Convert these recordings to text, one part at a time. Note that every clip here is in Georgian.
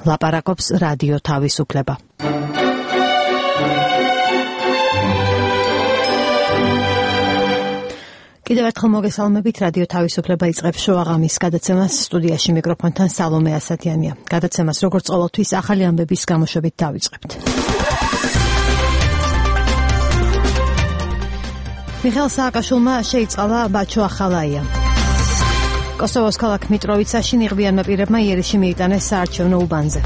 ლაპარაკობს რადიო თავისუფლება. კიდევ ერთხელ მოგესალმებით, რადიო თავისუფლება იწყებს შოაღამის გადაცემას, სტუდიაში მიკროფონთან სალომე ასათიანია. გადაცემას როგორც ყოველთვის ახალი ამბების გამოშვებით დავიწყებთ. მიხეილ სააკაშვილმა შეიწყალა ბაჩო ახალაია. კოსოვოს ქალაქ მიტროვიცაში ნიღბიანმა პირებმა იერიში მიიტანეს საარჩევნო უბანზე.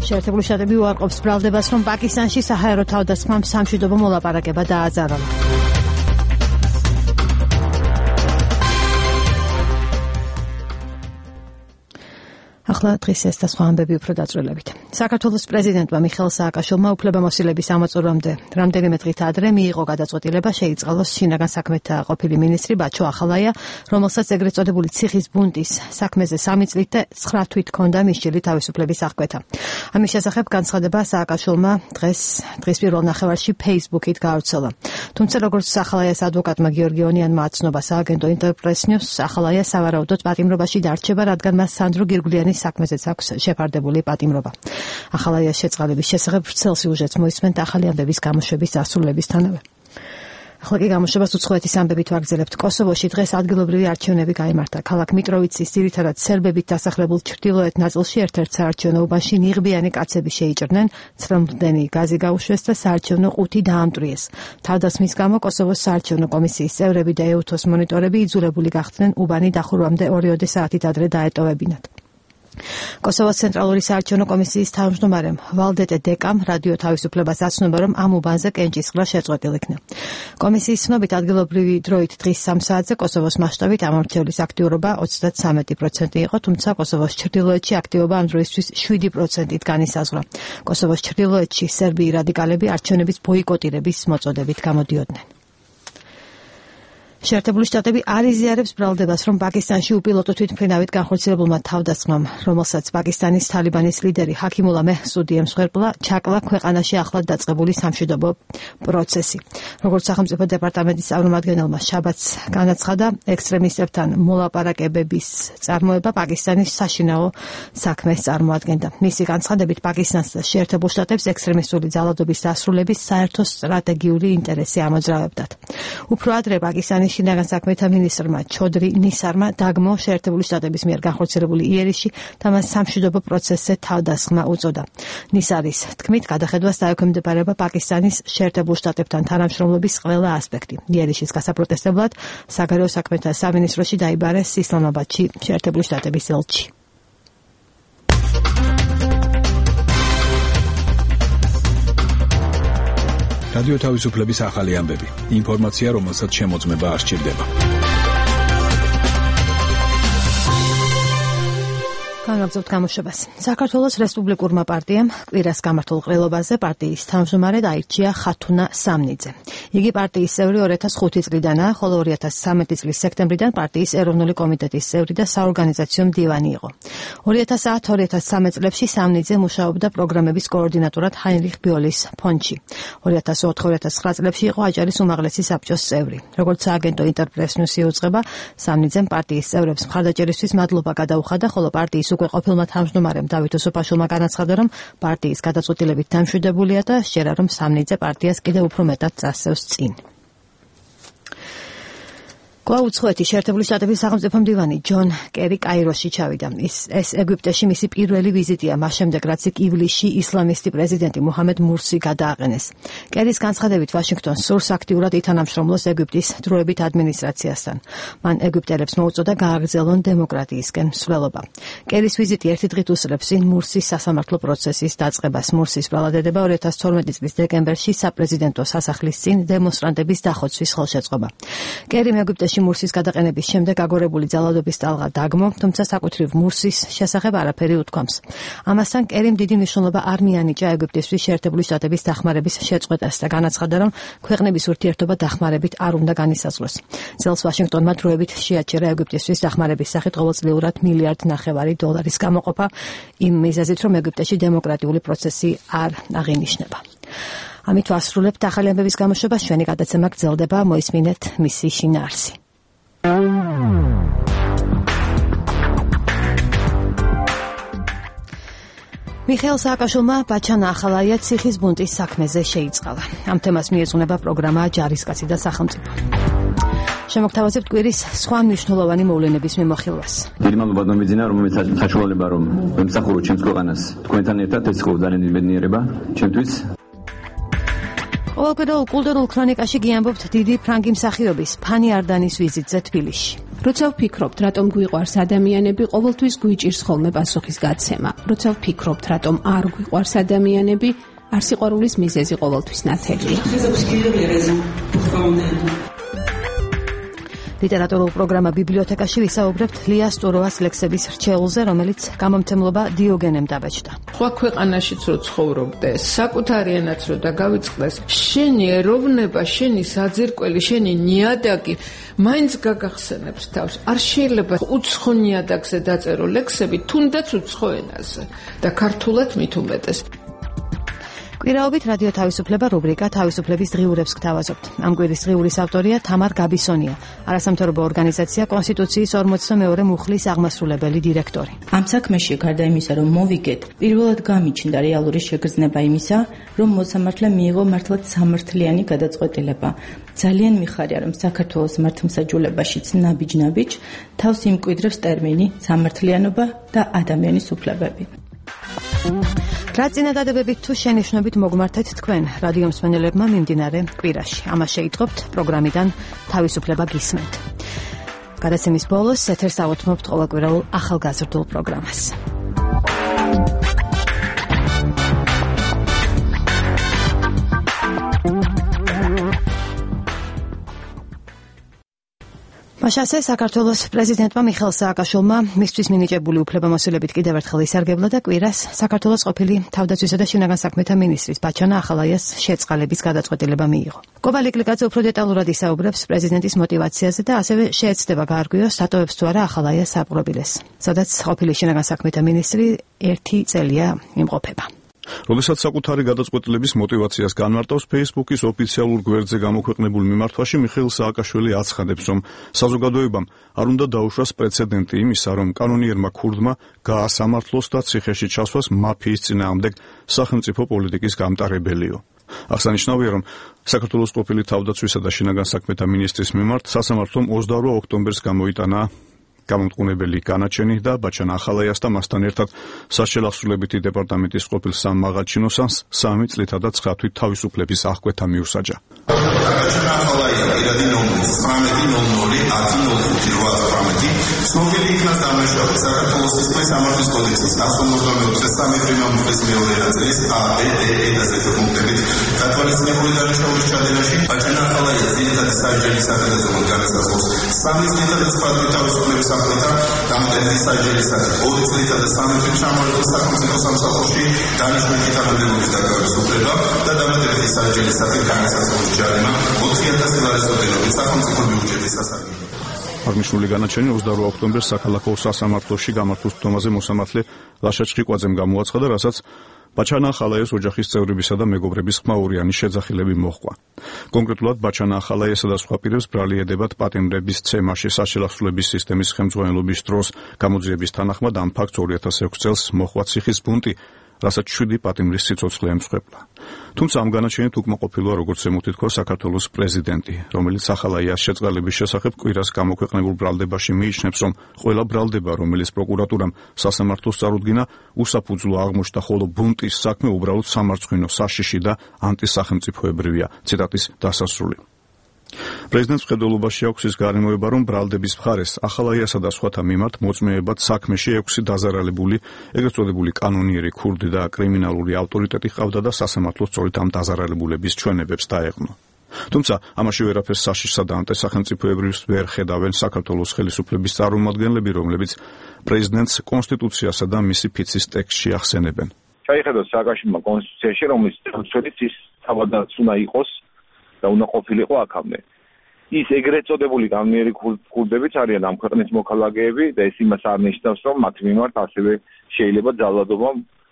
შეერთებული შტატები უარყოფს ბრალდებას, რომ პაკისტანში საჰაერო თავდასხმამ სამშვიდობო მოლაპარაკება დააძარალა. ახლა დღის ეს და სხვა ამბები უფრო დაწვრილებით. საქართველოს პრეზიდენტმა მიხეილ სააკაშვილმა უფლებამოსილების ამოწურვამდე რამდენიმე დღით ადრე მიიღო გადაწყვეტილება შეიწყალოს შინაგან საქმეთა ყოფილი მინისტრი ბაჩო ახალაია, რომელსაც ეგრეთ წოდებული ციხის ბუნტის საქმეზე 3 წლით და 9 თვით ჰქონდა მისჯილი თავისუფლების აღკვეთა. ამის შესახებ განცხადება სააკაშვილმა დღის პირველ ნახევარში Facebook-ით გაავრცელა. თუმცა როგორც ახალაიას ადვოკატმა გიორგი ონიანმა აცნობა სააგენტო ინტერპრეს ნიუსს, ახალაია სავარაუდოდ პატიმრობაში დარჩება, რადგან მას სანდრო გირგვლიანის საქმეზეც აქვს შეფარდებული პატიმრობა. ახალაიას შეწყალების შესახებ ვრცელ სიუჟეტს მოისმენთ ახალი ამბების გამოშვების დასრულებისთანავე. ახლა კი გამოშვებას უცხოეთის ამბებით ვაგრძელებთ. კოსოვოში დღეს ადგილობრივი არჩევნები გაიმართა. ქალაქ მიტროვიცის ძირითადად სერბებით დასახლებულ ჩრდილოეთ ნაწილში ერთ-ერთ საარჩევნო უბანში ნიღბიანი კაცები შეიჭრნენ, ცრემლდენი გაზი გაუშვეს და საარჩევნო ყუთი დაამტვრიეს. თავდასხმის გამო კოსოვოს საარჩევნო კომისიის წევრები და ეუთოს მონიტორები იძულებული გახდნენ უბანი დახურვამდე 2 საათით ადრე დაეტოვებინათ. კოსოვოს ცენტრალური საარჩევნო კომისიის თავმჯდომარემ ვალდეტე დეკამ რადიო თავისუფლებას აცნობა, რომ ამ უბანზე კენჭისყრა შეწყვეტილ იქნა. კომისიის ცნობით ადგილობრივი დროით დღის 3 საათზე კოსოვოს მასშტაბით ამორჩევლის აქტიურობა 33% იყო, თუმცა კოსოვოს ჩრდილოეთში აქტივობა ამ დროისთვის 7%-ით განისაზღვრა. კოსოვოს ჩრდილოეთში სერბიი რადიკალები არჩევნების ბოიკოტირების მოწოდებით გამოდიოდნენ. შეერთებული შტატები არ იზიარებს ბრალდებას, რომ პაკისტანში უპილოტო თვითმფრინავით განხორციელებულმა თავდასხმამ, რომელსაც პაკისტანის თალიბანის ლიდერი ჰაკიმულა მეჰსუდი ემსხვერპლა, ჩაკლა ქვეყანაში ახლად დაწყებული სამშვიდობო პროცესი. როგორც სახელმწიფო დეპარტამენტის წარმომადგენელმა შაბათს განაცხადა, ექსტრემისტებთან მოლაპარაკებების წარმოება პაკისტანის საშინაო საქმეს წარმოადგენდა. მისი განცხადებით, პაკისტანს და შეერთებულ შტატებს ექსტრემისტული ძალადობის დასრულების საერთო სტრატეგიული ინტერესი ამოძრავებდათ. უფრო ადრე პაკისტანის შინაგან საქმეთა მინისტრმა ჩოდრი ნისარმა დაგმო შეერთებული შტატების მიერ განხორციელებული იერიში და მას სამშვიდობო პროცესზე თავდასხმა უწოდა. ნისარის თქმით, გადახედვას დაექვემდებარება პაკისტანის შეერთებულ შტატებთან თანამშრომლობის ყველა ასპექტი. იერიშის გასაპროტესტებლად საგარეო საქმეთა სამინისტროში დაიბარეს ისლამაბადში შეერთებული შტატების ელჩი. რადიო თავისუფლების ახალი ამბები. ინფორმაცია, რომელსაც შემოწმება არ სჭირდება. განაგრძობთ გამოშვებას. საქართველოს რესპუბლიკურმა პარტიამ კვირას გამართულ ყრილობაზე პარტიის თავმჯდომარედ აირჩია ხათუნა სამნიძე. იგი პარტიის წევრი 2005 წლიდანაა, ხოლო 2013 წლის სექტემბრიდან პარტიის ეროვნული კომიტეტის წევრი და საორგანიზაციო მდივანი იყო. 2010-2013 წლებში სამნიძე მუშაობდა პროგრამების კოორდინატორად ჰაინრიხ ბიოლის ფონდში. 2004-2009 წლებში იყო აჭარის უმაღლესი საბჭოს წევრი. როგორც სააგენტო ინტერპრეს ნიუსი უძღვება, სამნიძემ პარტიის წევრებს მხარდაჭერისთვის მადლობა გადაუხადა, ხოლო პარტიის უკვე ყოფილმა თავმჯდომარემ დავით ოსოფაშვილმა განაცხადა, რომ პარტიის გადაწყვეტილებით დამშვიდებულია და სჯერა, რომ სამნიძე პარტიას კიდევ უფრო მეტად წასწევს წინ. კვლავ უცხოეთის შეერთებული შტატების სახელმწიფო მდივანი ჯონ კერი კაიროში ჩავიდა. ეს ეგვიპტეში მისი პირველი ვიზიტია, მას შემდეგ რაც ივლისში ისლამისტი პრეზიდენტი მუჰამედ მურსი გადააყენეს. კერის განცხადებით, ვაშინგტონს სურს აქტიურად ითანამშრომლოს ეგვიპტის დროებით ადმინისტრაციასთან. მან ეგვიპტელებს მოუწოდა გააგრძელონ დემოკრატიისკენ მსვლელობა. კერის ვიზიტი ერთი დღით უსწრებს წინ მურსის სასამართლო პროცესის დაწყებას. მურსის ბრალადედება 2012 წლის დეკემბერში საპრეზიდენტო სასახლის წინ დემონსტრანტების დახოცვის ხელშეწყობა. კერიმ ეგვიპტეში მურსის გადაყენების შემდეგ აგორებული ძალადობის ტალღა დაგმო, თუმცა საკუთრივ მურსის შესახებ არაფერი უთქვამს. ამასთან კერიმ დიდი მნიშვნელობა არ მიანიჭა ეგვიპტისთვის შეერთებული შტატების დახმარების შეწყვეტას და განაცხადა, რომ ქვეყნების ურთიერთობა დახმარებით არ უნდა განისაზღვროს. წელს ვაშინგტონმა დროებით შეაჩერა ეგვიპტისთვის დახმარების სახით ყოველწლიურად $1.5 მილიარდი გამოყოფა იმ მიზეზით, რომ ეგვიპტეში დემოკრატიული პროცესი არ აღინიშნება. ამით ვასრულებთ ახალი ამბების გამოშვებას. ჩვენი გადაცემა გრძელდება, მოისმინეთ მისი შინაარსი. მიხეილ სააკაშვილმა ბაჩანა ახალაია ციხის ბუნტის საქმეზე შეიწყალა. ამ თემას მიეძღვნება პროგრამა ჯარისკაცი და სახელმწიფო. შემოგთავაზებთ კვირის სხვა მნიშვნელოვანი მოვლენების მიმოხილვას. დიდი მადლობა დომიძინა, რომელიც საშუალება რომ ვემსახუროთ ჩემს ქვეყანას თქვენთან ერთად, ეს იყო ძალიან დიდი ბედნიერება ჩემთვის. ყოველკვირეულ კულტურულ ქრონიკაში გიამბობთ დიდი ფრანგი მსახიობის ფანი არდანის ვიზიტზე თბილისში. როცა ვფიქრობთ, რატომ გვიყვარს ადამიანები, ყოველთვის გვიჭირს ხოლმე პასუხის გაცემა. როცა ვფიქრობთ, რატომ არ გვიყვარს ადამიანები, არ სიყვარულის მიზეზი ყოველთვის ნათელია. ლიტერატურულ პროგრამა ბიბლიოთეკაში ვისაუბრებთ ლია სტუროვას ლექსების რჩეულზე, რომელიც გამომცემლობა დიოგენემ დაბეჭდა. სხვა ქვეყანაშიც რო ცხოვრობდე, საკუთარი ენაც რო დაგავიწყდეს, შენი ეროვნება, შენი საძირკველი, შენი ნიადაგი მაინც გაგახსენებს თავს. არ შეიძლება უცხო ნიადაგზე დაწერო ლექსები, თუნდაც უცხო ენაზე და ქართულად მით უმეტეს. კვირაობით რადიო თავისუფლება რუბრიკა თავისუფლების დღიურებს გთავაზობთ. ამ კვირის დღიურის ავტორია თამარ გაბისონია, არასამთავრობო ორგანიზაცია კონსტიტუციის 42 მუხლის აღმასრულებელი დირექტორი. ამ საქმეში გარდა იმისა, რომ მოვიგეთ, პირველად გამიჩნდა რეალური შეგრძნება იმისა, რომ მოსამართლე მიიღო მართლაც სამართლიანი გადაწყვეტილება. ძალიან მიხარია, რომ საქართველოს მართლმსაჯულებაშიც ნაბიჯ-ნაბიჯ თავს იმკვიდრებს ტერმინი სამართლიანობა და ადამიანის უფლებები. რა წინადადებებით თუ შენიშვნებით მოგმართეთ თქვენ რადიო მსმენელებმა მიმდინარე კვირაში. ამას შეიტყობთ პროგრამიდან თავისუფლება გისმენთ. გადაცემის ბოლოს ეთერს ავუთმობთ ყოველკვირეულ ახალგაზრდულ პროგრამას. მაშასე საქართველოს პრეზიდენტმა მიხეილ სააკაშვილმა მისთვის მინიჭებული უფლებამოსილებით კიდევ ერთხელ ისარგებლა და კვირას საქართველოს ყოფილი თავდაცვისა და შინაგან საქმეთა მინისტრის ბაჩანა ახალაიას შეწყალების გადაწყვეტილება მიიღო. კოვა ლიკლიკაძე უფრო დეტალურად ისაუბრებს პრეზიდენტის мотиваციაზე და ასევე შეეცდება გაარკვიოს დატოვებს თუ არა ახალაიას საპყრობილეს, სადაც ყოფილი შინაგან საქმეთა მინისტრი 1 წელია იმყოფება. როდესაც საკუთარი გადაწყვეტილების мотиваციას განმარტავს Facebook-ის ოფიციალურ გვერდზე გამოქვეყნებულ მიმართვაში, მიხეილ სააკაშვილი აცხადებს, რომ საზოგადოებამ არ უნდა დაუშვას პრეცედენტი იმისა, რომ კანონიერმა ქურდმა გაასამართლოს და ციხეში ჩასვას მაფიის წინააღმდეგ სახელმწიფო პოლიტიკის გამტარებელიო. აღსანიშნავია, რომ საქართველოს ყოფილი თავდაცვისა და შინაგან საქმეთა მინისტრის მიმართ სასამართლომ 28 ოქტომბერს გამოიტანა გამომტყუნებელი განაჩენი და ბაჩანა ახალაიას და მასთან ერთად საშელახსრულებითი დეპარტამენტის ყოფილ სამმაღალჩინოსანს 3 წლითა და 9 თვით თავისუფლების აღკვეთა მიუსაჯა. ბაჩანა ახალაია პირადი ნომერი 19.00.05.18 ცნობილი იქნა დამნაშავე საქართველოს სისხლის სამართლის კოდექსის 183 პრიმამულის მეორე ნაწილის ABDE და Z პუნქტებით გათვალისწინებული დანაშაულის ჩადენაში ბაჩანა ახალაია ძირითადი სასჯელის საფედაზოოდ განსაზღვრავს 3 წლითა და 9 თვით თავისუფლების აღკვეთა დამტენილი სასჯელისათვის 2 წლითა და 3 თვით ჩამოყალიბდა სახელმწიფო სამსახურში დანიშნული თანამდებობის დაკავების უფლება და დამატებითი სასჯელისათვის განსაზღვრული ჯარიმა 4,000 ლარის ოდენობით სახელმწიფო ბიუჯეტის სასარგებლოდ. აღნიშნული განაჩენი 28 ოქტომბერს საქალაქო სასამართლოში გამართულ სხდომაზე მოსამართლე ლაშა ჩხიკვაძემ გამოაცხადა, რასაც ბაჩანა ახალაიას ოჯახის წევრებისა და მეგობრების ხმაურიანი შეძახილები მოჰყვა. კონკრეტულად ბაჩანა ახალაიასა და სხვა პირებს ბრალი ედებათ პატიმრების ცემაში საშელახსრულების სისტემის ხელმძღვანელობის დროს გამოძიების თანახმად ამ ფაქტს 2006 წელს მოჰყვა ციხის ბუნტი, რასაც 7 პატიმრის სიცოცხლე ემსხვერპლა. თუმცა ამ განაჩენით უკმაყოფილოა, როგორც ემუთითქვა საქართველოს პრეზიდენტი, რომელიც ახალაიას შეწყალების შესახებ კვირას გამოქვეყნებულ ბრალდებაში მიიჩნევს, რომ ყველა ბრალდება, რომელიც პროკურატურამ სასამართლოს წარუდგინა, უსაფუძვლო აღმოჩნდა, ხოლო ბუნტის საქმე უბრალოდ სამარცხვინო, საშიში და ანტისახელმწიფოებრივია. ციტატის დასასრული. პრეზიდენტს მხედველობაში აქვს ის გარემოება, რომ ბრალდების მხარეს ახალაიასა და სხვათა მიმართ მოწმეებად საქმეში 6 დაზარალებული, ეგრეთ წოდებული კანონიერი ქურდი და კრიმინალური ავტორიტეტი ჰყავდა და სასამართლო სწორედ ამ დაზარალებულების ჩვენებებს დაეღნო. თუმცა ამაში ვერაფერს საშიშსა და ანტისახელმწიფოებრივს ვერ ხედავენ საქართველოს ხელისუფლების წარმომადგენლები, რომლებიც პრეზიდენტს კონსტიტუციასა და მისი ფიცის ტექსტში ახსენებენ. Ჩაიხედოს სააკაშვილმა კონსტიტუციაში, რომლის წელწოდით ის თავადაც უნდა იყოს და უნდა ყოფილიყო აქამდე. ის ეგრეთ წოდებული კანონიერი ქურდებიც არიან ამ ქვეყნის მოქალაქეები და ეს იმას არნიშნავს, რომ მათ მიმართ ასევე შეიძლება ძალადობა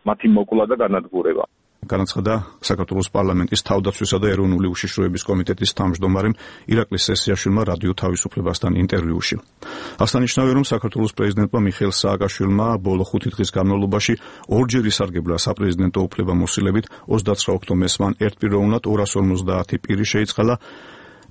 მათი მოკლა და განადგურება. განაცხადა საქართველოს პარლამენტის თავდაცვისა და ეროვნული უშიშროების კომიტეტის თავმჯდომარემ ირაკლი სესიაშვილმა რადიო თავისუფლებასთან ინტერვიუში. აღსანიშნავია, რომ საქართველოს პრეზიდენტმა მიხეილ სააკაშვილმა ბოლო 5 დღის განმავლობაში ორჯერ ისარგებლა საპრეზიდენტო უფლებამოსილებით 29 ოქტომბერს მან ერთპიროვნად 250 პირი შეიწყალა,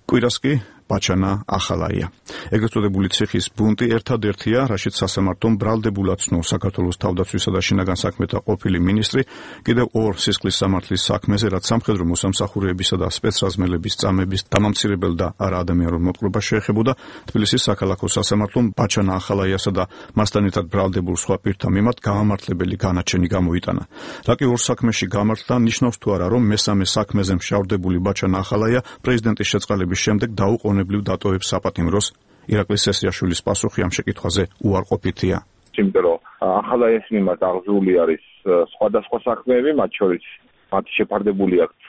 კვირას კი ბაჩანა ახალაია. ეგრეთ წოდებული ციხის ბუნტი ერთადერთია, რაშიც სასამართლომ ბრალდებულად ცნო საქართველოს თავდაცვისა და შინაგან საქმეთა ყოფილი მინისტრი კიდევ ორ სისხლის სამართლის საქმეზე, რაც სამხედრო მოსამსახურეებისა და სპეცრაზმელების წამების დამამცირებელ და არაადამიანურ მოპყრობას შეეხებოდა, თბილისის საქალაქო სასამართლომ ბაჩანა ახალაიასა და მასთან ერთად ბრალდებულ სხვა პირთა მიმართ გამამართლებელი განაჩენი გამოიტანა. რაკი ორ საქმეში გამართლა, ნიშნავს თუ არა, რომ მესამე საქმეზე მშავდებული ბაჩანა ახალაია პრეზიდენტის შეწყალების შემდეგ დაუყოვნებლივ დატოვებს საპატიმროს? ირაკლი სესიაშვილის პასუხი ამ შეკითხვაზე უარყოფითია. იმიტომ რომ ახალაიას მიმართ აღზრული არის სხვადასხვა საქმეები, მათ შორის მათი შეფარდებული აქვს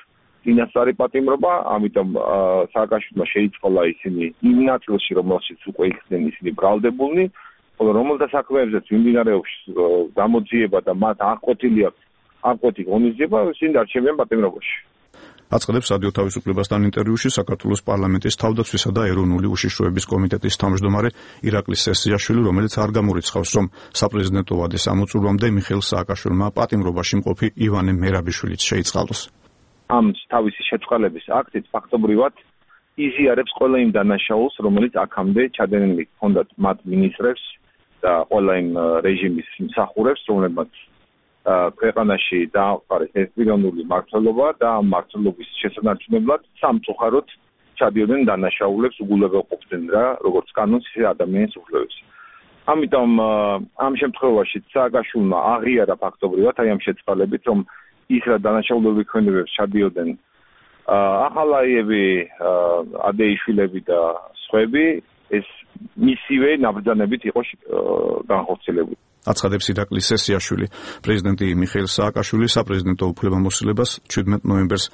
წინასწარი პატიმრობა, ამიტომ სააკაშვილმა შეიწყალა ისინი იმ ნაწილში, რომელშიც უკვე იქნენ ისინი ბრალდებულნი, ხოლო რომელთა საქმეებზეც მიმდინარეობს გამოძიება და მათ აღკვეთილი აქვს აღკვეთი ღონისძიება, ისინი დარჩებიან პატიმრობაში. აწყდებს რადიო თავისუფლებასთან ინტერვიუში საქართველოს პარლამენტის თავდაცვისა და ეროვნული უშიშროების კომიტეტის თავმჯდომარე ირაკლი სესიაშვილი, რომელიც არ გამორიცხავს, რომ საპრეზიდენტო ვადის ამოწურვამდე მიხეილ სააკაშვილმა პატიმრობაში მყოფი ივანე მერაბიშვილიც შეიწყალოს. ამ თავისი შეწყალების აქტით ფაქტობრივად იზიარებს ყველა იმ დანაშაულს, რომელიც აქამდე ჩადენილი ჰქონდათ მათ მინისტრებს და ყველა იმ რეჟიმის მსახურებს, რომლებმაც ქვეყანაში დააყარეს ერთპიროვნული მმართველობა და ამ მმართველობის შესანარჩუნებლად სამწუხაროდ ჩადიოდნენ დანაშაულებს, უგულებელყოფდნენ რა, როგორც კანონს, ისე ადამიანის უფლებებს. ამიტომ ამ შემთხვევაში სააკაშვილმა აღიარა ფაქტობრივად აი ამ შეწყალებით, რომ ის რა დანაშაულებები ქონებებს ჩადიოდნენ ახალაიები, ადეიშვილები და სხვები, ეს მისივე ნაბრძანებით იყო განხორციელებული. აცხადებს ირაკლი სესიაშვილი. პრეზიდენტი მიხეილ სააკაშვილი საპრეზიდენტო უფლებამოსილებას 17 ნოემბერს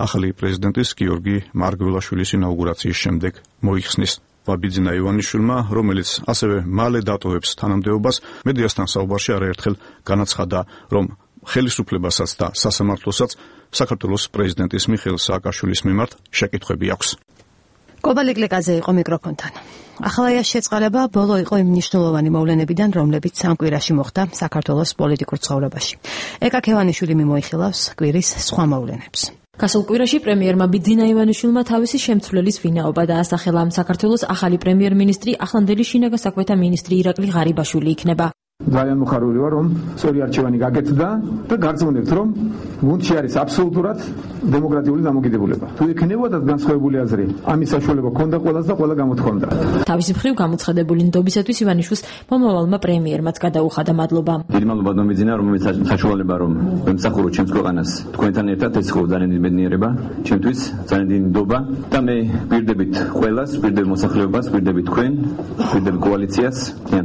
ახალი პრეზიდენტის გიორგი მარგველაშვილის ინაუგურაციის შემდეგ მოიხსნის. ბიძინა ივანიშვილმა, რომელიც ასევე მალე დატოვებს თანამდებობას, მედიასთან საუბარში არაერთხელ განაცხადა, რომ ხელისუფლებასაც და სასამართლოსაც საქართველოს პრეზიდენტის მიხეილ სააკაშვილის მიმართ შეკითხვები აქვს. კობალიკლიკაძე იყო მიკროფონთან. ახალაიას შეწყალება ბოლო იყო იმ მნიშვნელოვანი მოვლენებიდან, რომლებიც სამ კვირაში მოხდა საქართველოს პოლიტიკურ ცხოვრებაში. ეკა ქევანიშვილი მიმოიხილავს კვირის სხვა მოვლენებს. გასულ კვირაში პრემიერმა ბიძინა ივანიშვილმა თავისი შემცვლელის ვინაობა დაასახელა. საქართველოს ახალი პრემიერ-მინისტრი ახლანდელი შინაგან საქმეთა მინისტრი ირაკლი ღარიბაშვილი იქნება. ძალიან მოხარული ვარ, რომ სწორი არჩევანი გაკეთდა და გარწმუნებთ, რომ გუნდში არის აბსოლუტურად დემოკრატიული დამოკიდებულება. თუ ექნებოდათ განსხვავებული აზრი, ამის საშუალება ჰქონდა ყველას და ყველა გამოთქვამდა. თავისი მხრივ გამოცხადებული ნდობისათვის ივანიშვილს მომავალმა პრემიერმაც გადაუხადა მადლობა. დიდი მადლობა დომიძინა, რომელიც საშუალება რომ ემსახურო ჩემს ქვეყანას თქვენთან ერთად ეს ხო ძალიან დიდი ბედნიერება, ჩემთვის ძალიან დიდი ნდობა და მე გვირდებით ყველას, გვირდებით მოსახლეობას, გვირდებით თქვენ, გვირდებით კოალიციას,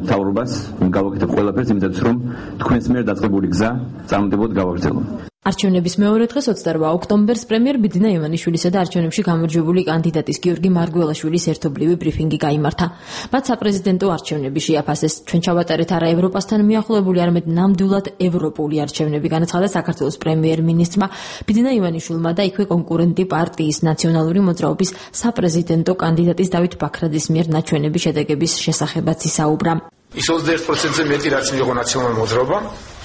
მთავრობას, გავაკეთებ ყველაფერს იმედად რომ თქვენს მიერ დაწყებული გზა წარმატებულად გავაგრძელო. არჩევნების მეორე დღეს 28 ოქტომბერს პრემიერ ბიძინა ივანიშვილისა და არჩევნებში გამარჯვებული კანდიდატის გიორგი მარგველაშვილის ერთობლივი ბრიფინგი გაიმართა. მათ საპრეზიდენტო არჩევნები შეაფასეს. ჩვენ ჩავატარეთ არა ევროპასთან მიახლოებული, არამედ ნამდვილად ევროპული არჩევნები, განაცხადა საქართველოს პრემიერ-მინისტრმა ბიძინა ივანიშვილმა და იქვე კონკურენტი პარტიის ნაციონალური მოძრაობის საპრეზიდენტო კანდიდატის დავით ბაქრაძის მიერ ნაჩვენების შედეგების შესახებაც ისაუბრა. ის 21%-ზე მეტი რაც მიიღო ნაციონალური მოძრაობა,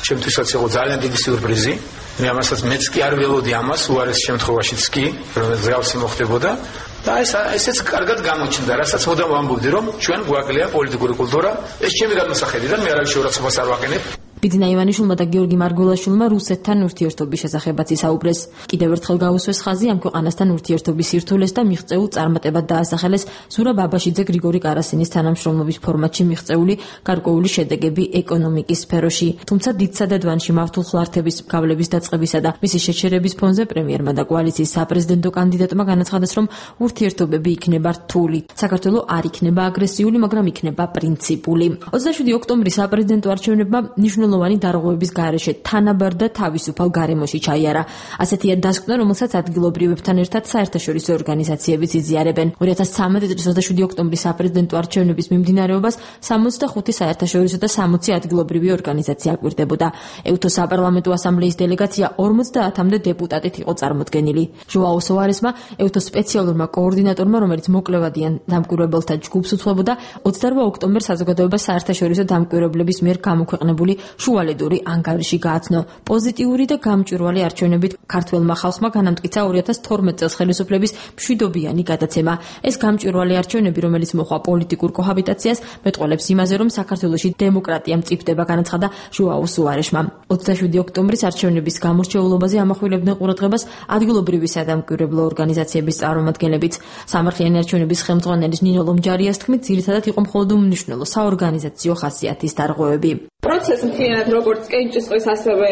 ჩემთვისაც იყო ძალიან დიდი სიურპრიზი. მე ამასაც მეც კი არ ველოდი ამას, უარეს შემთხვევაშიც კი, რომელიც ზრალსი მოხდებოდა. და ესეც კარგად გამოჩნდა, რასაც მოდამ ვამბობდი, რომ ჩვენ გვაკლია პოლიტიკური კულტურა, ეს ჩემი გადმოსახედიდან, მე არავის შეურაცხყოფას არ ვაყენებ. ბიძინა ივანიშვილმა და გიორგი მარგველაშვილმა რუსეთთან ურთიერთობის შესახებაც ისაუბრეს. კიდევ ერთხელ გაუსვეს ხაზი ამ ქვეყანასთან ურთიერთობის სირთულეს და მიღწეულ წარმატებად დაასახელეს ზურაბ აბაშიძე გრიგორი კარასინის თანამშრომლობის ფორმატში მიღწეული გარკვეული შედეგები ეკონომიკის სფეროში. თუმცა დიდსადადვანში მავთულ ხლართების გავლების დაწყებისა და მისი შეჩერების ფონზე პრემიერმა და კოალიციის საპრეზიდენტო კანდიდატმა განაცხადეს, რომ ურთიერთობები იქნება რთული. საქართველო არ იქნება აგრესიული, მაგრამ იქნება პრინციპული. 27 ოქტომბრის საპრეზიდენტო არჩევნებმა მნიშვნელოვანი მნიშვნელოვანი დარღვევების გარეშე თანაბარ და თავისუფალ გარემოში ჩაიარა. ასეთია დასკვნა, რომელსაც ადგილობრივებთან ერთად საერთაშორისო ორგანიზაციებიც იზიარებენ. 2013 წლის 27 ოქტომბრის საპრეზიდენტო არჩევნების მიმდინარეობას 65 საერთაშორისო და 60 ადგილობრივი ორგანიზაცია აკვირდებოდა. EUTO საპარლამენტო ასამბლეის დელეგაცია 50-მდე დეპუტატით იყო წარმოდგენილი. ჟოაო სოარესმა, EUTO სპეციალურმა კოორდინატორმა, რომელიც მოკვლევადიან დამკვირვებელთა ჯგუფს უძღვებოდა, 28 ოქტომბერს საზოგადოებას საერთაშორისო დამკვირვებლების მიერ გამოქვეყნებული შუალედური ანგარიში გააცნო. პოზიტიური და გამჭვირვალე არჩევნებით ქართველმა ხალხმა განამტკიცა 2012 წელს ხელისუფლების მშვიდობიანი გადაცემა. ეს გამჭვირვალე არჩევნები, რომელიც მოჰყვა პოლიტიკურ კოჰაბიტაციას, მეტყველებს იმაზე, რომ საქართველოში დემოკრატია მწიფდება, განაცხადა ჟოაო სუარესმა. 27 ოქტომბრის არჩევნების გამორჩეულობაზე ამახვილებდნენ ყურადღებას ადგილობრივი სადამკვირვებლო ორგანიზაციების წარმომადგენლებიც. სამართლიანი არჩევნების ხელმძღვანელის ნინო ლომჯარიას თქმით, ძირითადად იყო მხოლოდ უმნიშვნელო საორგანიზაციო ხასიათის დარღვევები. პროცესი მთლიანად როგორც კენჭისყრის ასევე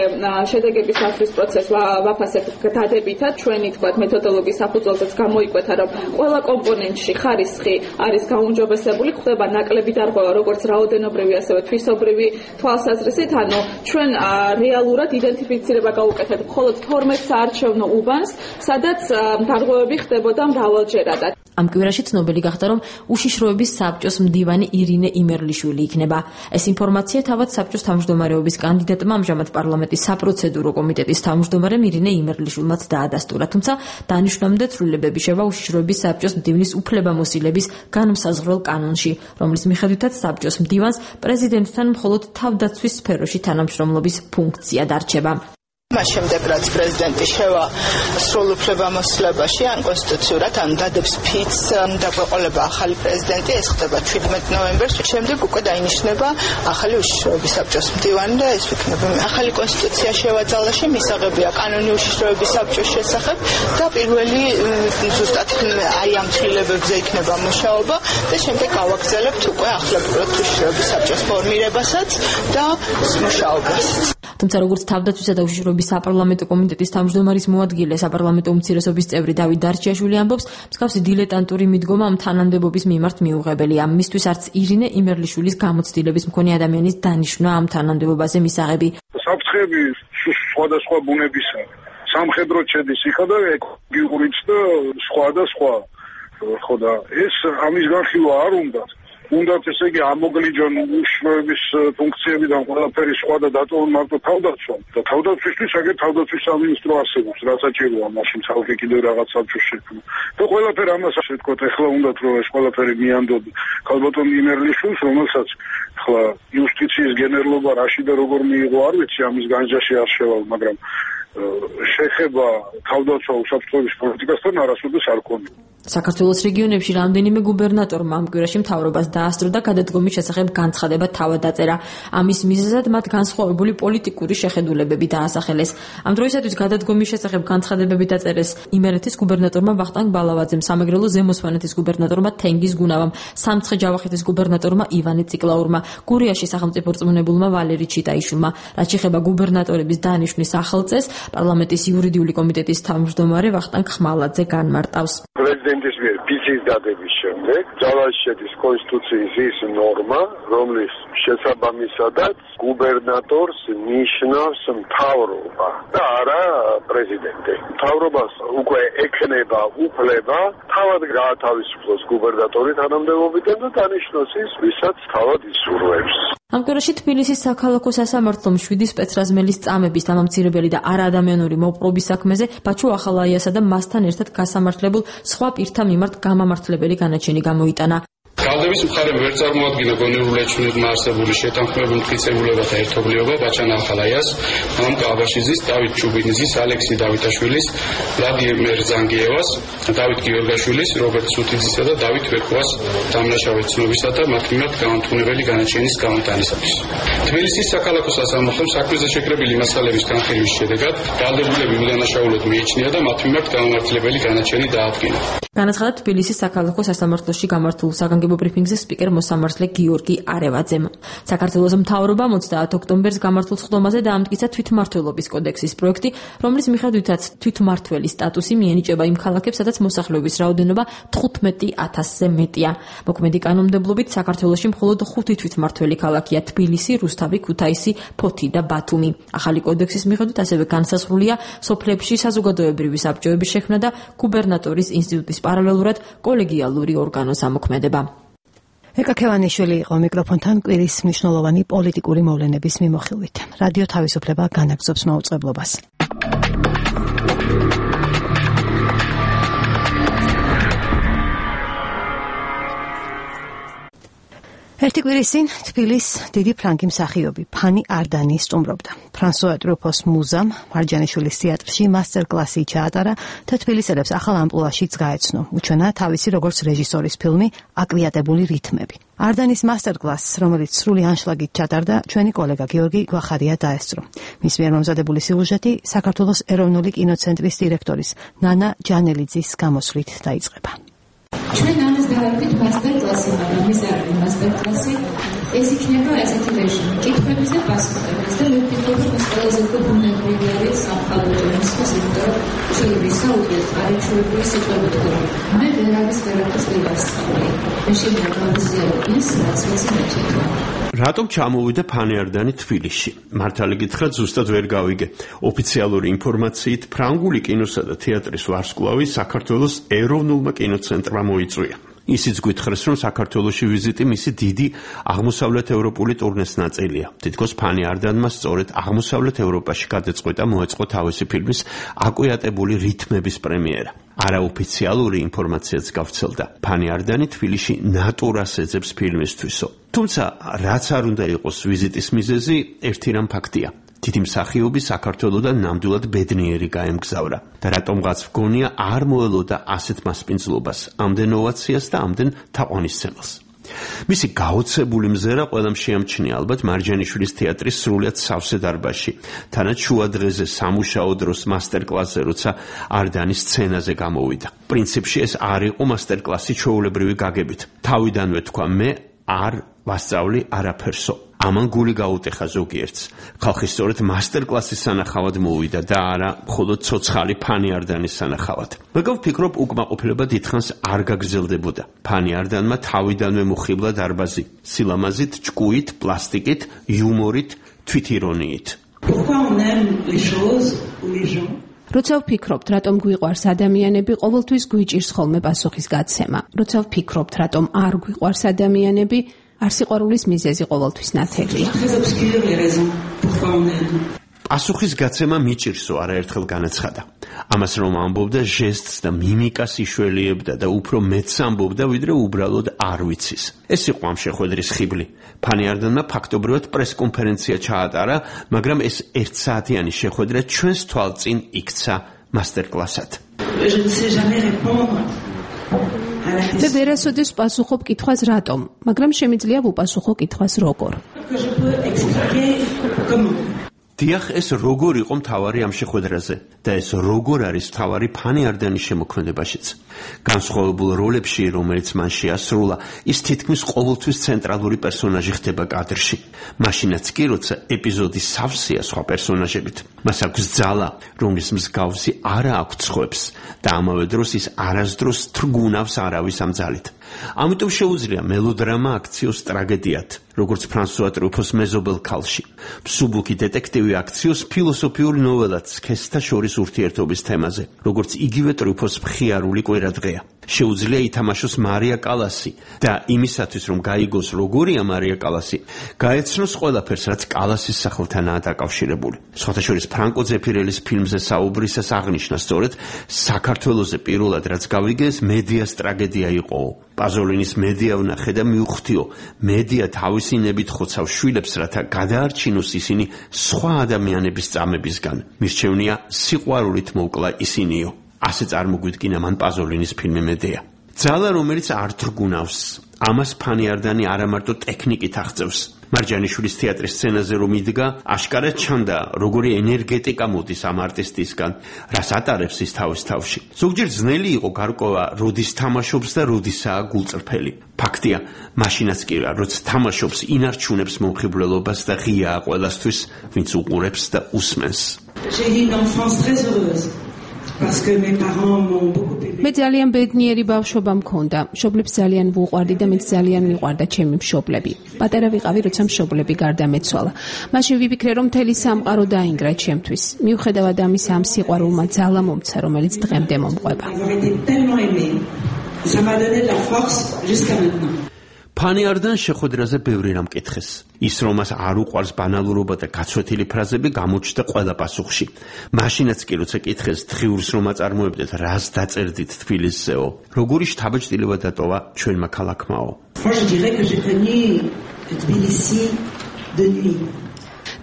შედეგების დაცვის პროცესს ვაფასებთ დადებითად. ჩვენი თქვათ მეთოდოლოგიის საფუძველზეც გამოიკვეთა, რომ ყველა კომპონენტში ხარისხი არის გაუმჯობესებული, ხდება ნაკლები დარღვევა როგორც რაოდენობრივი ასევე თვისობრივი თვალსაზრისით, ანუ ჩვენ რეალურად იდენტიფიცირება გავუკეთეთ მხოლოდ 12 საარჩევნო უბანს, სადაც დარღვევები ხდებოდა მრავალჯერადად. ამ კვირაში ცნობილი გახდა, რომ უშიშროების საბჭოს მდივანი ირინე იმერლიშვილი იქნება. ეს ინფორმაცია თავად საბჭოს თავმჯდომარეობის კანდიდატმა, ამჟამად პარლამენტის საპროცედურო კომიტეტის თავმჯდომარემ ირინე იმერლიშვილმაც დაადასტურა. თუმცა დანიშნამდე ცვლილებები შევა უშიშროების საბჭოს მდივნის უფლებამოსილების განმსაზღვრელ კანონში, რომლის მიხედვითაც საბჭოს მდივანს პრეზიდენტთან მხოლოდ თავდაცვის სფეროში თანამშრომლობის ფუნქცია დარჩება. მას შემდეგ რაც პრეზიდენტი შევა სრულ უფლებამოსილებაში ან კონსტიტუციურად ან დადებს ფიცს დაგვეყოლება ახალი პრეზიდენტი, ეს ხდება 17 ნოემბერს. შემდეგ უკვე დაინიშნება ახალი უშიშროების საბჭოს მდივანი და ეს იქნება ახალი კონსტიტუცია შევაძალაში, მისაღებია კანონი უშიშროების საბჭოს შესახებ და პირველი ზუსტად აი ამ ცვლილებებზე იქნება მუშაობა და შემდეგ გავაგრძელებთ უკვე ახლებურად უშიშროების საბჭოს ფორმირებასაც და მუშაობას. თუმცა როგორც თავდაცვისა და უშიშროების საპარლამენტო კომიტეტის თავმჯდომარის მოადგილე, საპარლამენტო უმცირესობის წევრი დავით დარჩიაშვილი ამბობს, მსგავსი დილეტანტური მიდგომა ამ თანამდებობის მიმართ მიუღებელია. მისთვის არც ირინე იმერლიშვილის გამოცდილების მქონე ადამიანის დანიშვნა ამ თანამდებობაზე მისაღები. საფრთხები სხვადასხვა ბუნებისა, სამხედრო ჩედის იქა და ეკოლოგიურიც და სხვა. ხო და ეს ამის განხილვა არ უნდათ. უნდათ ესე იგი ამოგლიჯონ უშიშროების ფუნქციებიდან ყველაფერი სხვა და დატოვონ მარტო თავდაცვა. და თავდაცვისთვის აგერ თავდაცვის სამინისტრო არსებობს, რა საჭიროა მაშინ ხალხი კიდევ რაღაც საბჭოს შექმნა. და ყველაფერი ამას ასე ვთქვათ, ეხლა უნდათ რომ ეს ყველაფერი მიანდოდ ქალბატონ იმერლიშვილს, რომელსაც ხლა იუსტიციის გენერლობა რაში და როგორ მიიღო არ ვიცი, ამის განჯაში არ შევალ, მაგრამ შეხება თავდაცვა უსაფრთხოების პოლიტიკასთან არასოდეს არ ქონია. საქართველოს რეგიონებში რამდენიმე გუბერნატორმა ამ კვირაში მთავრობას დაასწრო და გადადგომის შესახებ განცხადება თავად დაწერა. ამის მიზეზად მათ განსხვავებული პოლიტიკური შეხედულებები დაასახელეს. ამ დროისათვის გადადგომის შესახებ განცხადებები დაწერეს იმერეთის გუბერნატორმა ვახტანგ ბალავაძემ, სამეგრელოს ზემო სვანეთის გუბერნატორმა თენგიზ გუნავამ, სამცხე-ჯავახეთის გუბერნატორმა ივანე ციკლაურმა, გურიაში სახელმწიფო რწმუნებულმა ვალერი ჩიტაიშვილმა. რაც შეეხება გუბერნატორების დანიშვნის ახალწესს, პარლამენტის იურიდიული კომიტეტის თავმჯდომარე ვახტანგ ხმალაძე განმარტავს. პრეზიდენტის მიერ ფიცის დადების შემდეგ ძალაში შედის კონსტიტუციის ის ნორმა, რომლის შესაბამისადაც გუბერნატორს ნიშნავს მთავრობა და არა პრეზიდენტი. მთავრობას უკვე ექნება უფლება თავად გაათავისუფლოს გუბერნატორი თანამდებობიდან და დანიშნოს ის, ვისაც თავად ისურვებს. ამ კვირაში თბილისის საქალაქო სასამართლომ 7 სპეცრაზმელის წამების დამამცირებელი და არაადამიანური მოპყრობის საქმეზე ბაჩო ახალაიასა და მასთან ერთად გასამართლებულ სხვა პირთა მიმართ გამამართლებელი განაჩენი გამოიტანა. გალდების მხარემ ვერ წარმოადგინა გონივრული ეჩვენებმა არსებული შეთანხმებული მტკიცებულებათა ერთობლიობა ბაჩან ახალაიას, მამკა აბაშიძის, დავით ჩუბინიძის, ალექსი დავითაშვილის, ვლადიმერ ზანგიევას, დავით გიორგაშვილის, რობერტ სუთიძისა და დავით ვეკვას დამნაშავე ცნობისა და მათ მიმართ გამამტყუნებელი განაჩენის გამოტანისათვის. თბილისის საქალაქო სასამართლომ საქმეზე შეკრებილი მასალების განხილვის შედეგად გალდებულები უდანაშაულოდ მიიჩნია და მათ მიმართ გამამართლებელი განაჩენი დაადგინა. განაცხადა თბილისის საქალაქო სასამართლოში გამართულ საგანგებო ბრიფინგზე სპიკერ მოსამართლე გიორგი არევაძემ. საქართველოს მთავრობამ 30 ოქტომბერს გამართულ სხდომაზე დაამტკიცა თვითმმართველობის კოდექსის პროექტი, რომლის მიხედვითაც თვითმმართველის სტატუსი მიენიჭება იმ ქალაქებს, სადაც მოსახლეობის რაოდენობა 15,000-ზე მეტია. მოქმედი კანონმდებლობით საქართველოში მხოლოდ 5 თვითმმართველი ქალაქია: თბილისი, რუსთავი, ქუთაისი, ფოთი და ბათუმი. ახალი კოდექსის მიხედვით ასევე განსაზღვრულია სოფლებში საზოგადოებრივი საბჭოების შექმნა და გუბერნატორის ინსტიტუტის პარალელურად კოლეგიალური ორგანოს ამოქმედება. ეკა ქევანიშვილი იყო მიკროფონთან კვირის მნიშვნელოვანი პოლიტიკური მოვლენების მიმოხილვით. რადიო თავისუფლება განაგრძობს მაუწყებლობას. ერთი კვირის წინ თბილისის დიდი ფრანგი მსახიობი ფანი არდანი სტუმრობდა. ფრანსუა ტრუფოს მუზამ მარჯანიშვილის თეატრში მასტერკლასი ჩაატარა და თბილისელებს ახალ ამპლუაშიც გაეცნო. უჩვენა თავისი როგორც რეჟისორის ფილმი „აკვიატებული რითმები“. არდანის მასტერკლასს, რომელიც სრული ანშლაგით ჩატარდა, ჩვენი კოლეგა გიორგი გვახარია დაესწრო. მის მიერ მომზადებული სიუჟეტი საქართველოს ეროვნული კინოცენტრის დირექტორის ნანა ჯანელიძის გამოსვლით დაიწყება. ჩვენ ამას დავარქვით მასტერკლასი, მაგრამ ეს არ არის მასტერკლასი, ეს იქნება ესეთი რეჟიმი, კითხვების და პასუხების და მე ვფიქრობ, რომ ეს ყველაზე უფრო ბუნებრივი არის სამხალხო ჟურნალისტის, იმიტომ რომ შეიძლება ისაუბროს არაჩვეულებრივი სიტყვებით ხოლმე. მე ვერავის ვერაფერს ვერ ვასწავლე. მე შეიძლება გავიზიარო ის, რაც ვიცი მეჩეთო. რატომ ჩამოვიდა ფანი არდანი თბილისში? მართალი გითხრათ, ზუსტად ვერ გავიგე. ოფიციალური ინფორმაციით, ფრანგული კინოსა და თეატრის ვარსკვლავი საქართველოს ეროვნულმა კინოცენტრმა მოიწვია. ისიც გითხრეს, რომ საქართველოში ვიზიტი მისი დიდი აღმოსავლეთ ევროპული ტურნეს ნაწილია. თითქოს ფანი არდანმა სწორედ აღმოსავლეთ ევროპაში გადაწყვეტა მოეწყო თავისი ფილმის „აკვიატებული რითმების“ პრემიერა. არაოფიციალური ინფორმაციაც გავრცელდა. ფანი არდანი თბილისში ნატურას ეძებს ფილმისთვისო. თუმცა, რაც არ უნდა იყოს ვიზიტის მიზეზი, ერთი რამ ფაქტია. დიდი მსახიობი საქართველოდან ნამდვილად ბედნიერი გაემგზავრა და რატომღაც ვგონია არ მოელოდა ასეთ მასპინძლობას, ამდენ ოვაციას და ამდენ თაყვანისცემელს. მისი გაოცებული მზერა ყველამ შეამჩნია ალბათ მარჯანიშვილის თეატრის სრულიად სავსე დარბაზში, თანაც შუა დღეზე სამუშაო დროს მასტერკლასზე, როცა არდანი სცენაზე გამოვიდა. პრინციპში ეს არ იყო მასტერკლასი ჩვეულებრივი გაგებით. თავიდანვე თქვა მე არ ვასწავლი არაფერსო. ამან გული გაუტეხა ზოგიერთს. ხალხი სწორედ მასტერკლასის სანახავად მოვიდა და არა მხოლოდ ცოცხალი ფანი არდანის სანახავად. მეგობ ვფიქრობ, უკმაყოფილება დიდხანს არ გაგრძელდებოდა. ფანი არდანმა თავიდანვე მოხიბლა დარბაზი, სილამაზით, ჭკუით, პლასტიკით, იუმორით, თვითირონიით. როცა ვფიქრობთ, რატომ გვიყვარს ადამიანები, ყოველთვის გვიჭირს ხოლმე პასუხის გაცემა. როცა ვფიქრობთ, რატომ არ გვიყვარს ადამიანები, არ სიყვარულის მიზეზი ყოველთვის ნათელია. პასუხის გაცემა მიჭირსო, არაერთხელ განაცხადა. ამას რომ ამბობდა, ჟესტს და მიმიკას იშველიებდა და უფრო მეტს ამბობდა, ვიდრე უბრალოდ არ ვიცის. ეს იყო ამ შეხვედრის ხიბლი. ფანი არდანმა ფაქტობრივად პრესკონფერენცია ჩაატარა, მაგრამ ეს 1 საათიანი შეხვედრა ჩვენს თვალწინ იქცა მასტერკლასად. და ვერასოდეს პასუხობ კითხვას რატომ, მაგრამ შემიძლია ვუპასუხო კითხვას როგორ. დიახ, ეს როგორ იყო მთავარი ამ შეხვედრაზე და ეს როგორ არის მთავარი ფანი არდანის შემოქმედებაშიც. განსხვავებულ როლებში, რომელიც მან შეასრულა, ის თითქმის ყოველთვის ცენტრალური პერსონაჟი ხდება კადრში. მაშინაც კი, როცა ეპიზოდი სავსეა სხვა პერსონაჟებით. მას აქვს ძალა, რომლის მსგავსი არა აქვს ხვებს და ამავე დროს ის არასდროს თრგუნავს არავის ამ ძალით. ამიტომ შეუძლია მელოდრამა აქციოს ტრაგედიად, როგორც ფრანსუა ტრუფოს მეზობელ ქალში. მსუბუქი დეტექტივი აქციოს ფილოსოფიურ ნოველად სქესთა შორის ურთიერთობის თემაზე, როგორც იგივე ტრუფოს მხიარული კვირადღეა. შეუძლია ითამაშოს მარია კალასი და იმისათვის, რომ გაიგოს როგორია მარია კალასი, გაეცნოს ყველაფერს, რაც კალასის სახელთანაა დაკავშირებული. სხვათა შორის ფრანკო ზეფირელის ფილმზე საუბრისას აღნიშნა სწორედ საქართველოზე პირველად რაც გავიგე, ეს მედიას ტრაგედია იყო. პაზოლინის მედია ვნახე და მივხვდიო, მედია თავისი ნებით ხოცავს შვილებს, რათა გადაარჩინოს ისინი სხვა ადამიანების წამებისგან. მირჩევნია სიყვარულით მოვკლა ისინიო. ასე წარმოგვიდგინა მან პაზოლინის ფილმი მედია. ძალა, რომელიც არ დრგუნავს. ამას ფანიარდანი არა მარტო ტექნიკით აღწევს. მარჯანიშვილის თეატრის სცენაზე რომ იდგა, აშკარად ჩანდა, როგორი ენერგეტიკა მოდის ამ არტისტისგან, რას ატარებს ის თავის თავში. ზოგჯერ ძნელი იყო გარკვევა, როდის თამაშობს და როდისაა გულწრფელი. ფაქტია, მაშინაც კი რა, როცა თამაშობს, ინარჩუნებს მომხიბვლელობას და ღიაა ყველასთვის, ვინც უყურებს და უსმენს. მე ძალიან ბედნიერი ბავშვობა მქონდა. მშობლებს ძალიან ვუყვარდი და მეც ძალიან მიყვარდა ჩემი მშობლები. პატარა ვიყავი, როცა მშობლები გარდამეცვალა. მაშინ ვიფიქრე, რომ მთელი სამყარო დაინგრა ჩემთვის. მიუხედავად ამისა, ამ სიყვარულმა ძალა მომცა, რომელიც დღემდე მომყვება. ფანიარდან შეხვედრაზე ბევრი რამ კითხეს. ის რომ მას არ უყვარს ბანალურობა და გაცვეთილი ფრაზები გამოჩნდა ყველა პასუხში. მაშინაც კი როცა კითხეს დღიურს რომ აწარმოებდეთ, რას დაწერდით თბილისზეო, როგორი შთაბეჭდილება დატოვა ჩვენმა ქალაქმაო.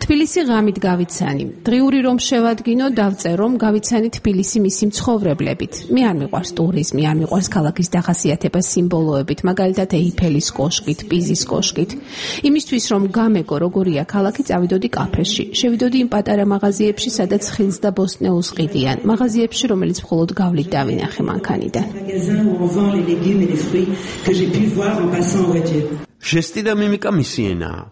თბილისი ღამით გავიცანი. დღიური რომ შევადგინო, დავწერ რომ გავიცანი თბილისი მისი მცხოვრებლებით. მე არ მიყვარს ტურიზმი, არ მიყვარს ქალაქის დახასიათება სიმბოლოებით, მაგალითად ეიფელის კოშკით, პიზის კოშკით. იმისთვის რომ გამეგო როგორია ქალაქი, წავიდოდი კაფეში. შევიდოდი იმ პატარა მაღაზიებში, სადაც ხილს და ბოსტნეულს ყიდიან. მაღაზიებში, რომელიც მხოლოდ გავლით დავინახე მანქანიდან. ჟესტი და მიმიკა მისი ენაა.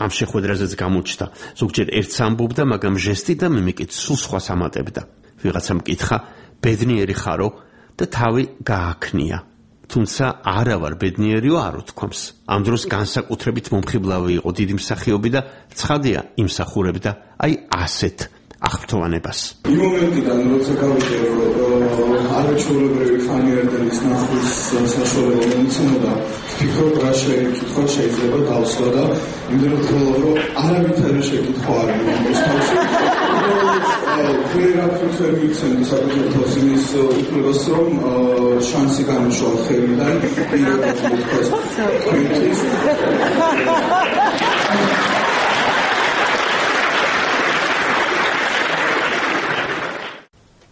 ამ შეხვედრაზეც გამოჩნდა. ზოგჯერ ერთს ამბობდა, მაგრამ ჟესტი და მიმიკით სულ სხვას ამატებდა. ვიღაცამ კითხა, ბედნიერი ხარო და თავი გააქნია. თუმცა არა ვარ ბედნიერიო არ უთქვამს. ამ დროს განსაკუთრებით მომხიბლავი იყო დიდი მსახიობი და ცხადია იმსახურებდა აი ასეთ აღფრთოვანებას. იმ მომენტიდან როცა გავიგე, რომ არაჩვეულებრივი ფანიარდანის ნახვის საშუალება მომცემოდა, ვფიქრობ, რა შეკითხვა შეიძლება დავსვა და იმდენად ხოლმე რომ არავითარი შეკითხვა არ მომწონს თავში. ფერაფერს ვერ მიცემდი საკუთარ თავს იმის უფლებას, რომ შანსი გამოშვა ხელიდან პირადად მოთქვას.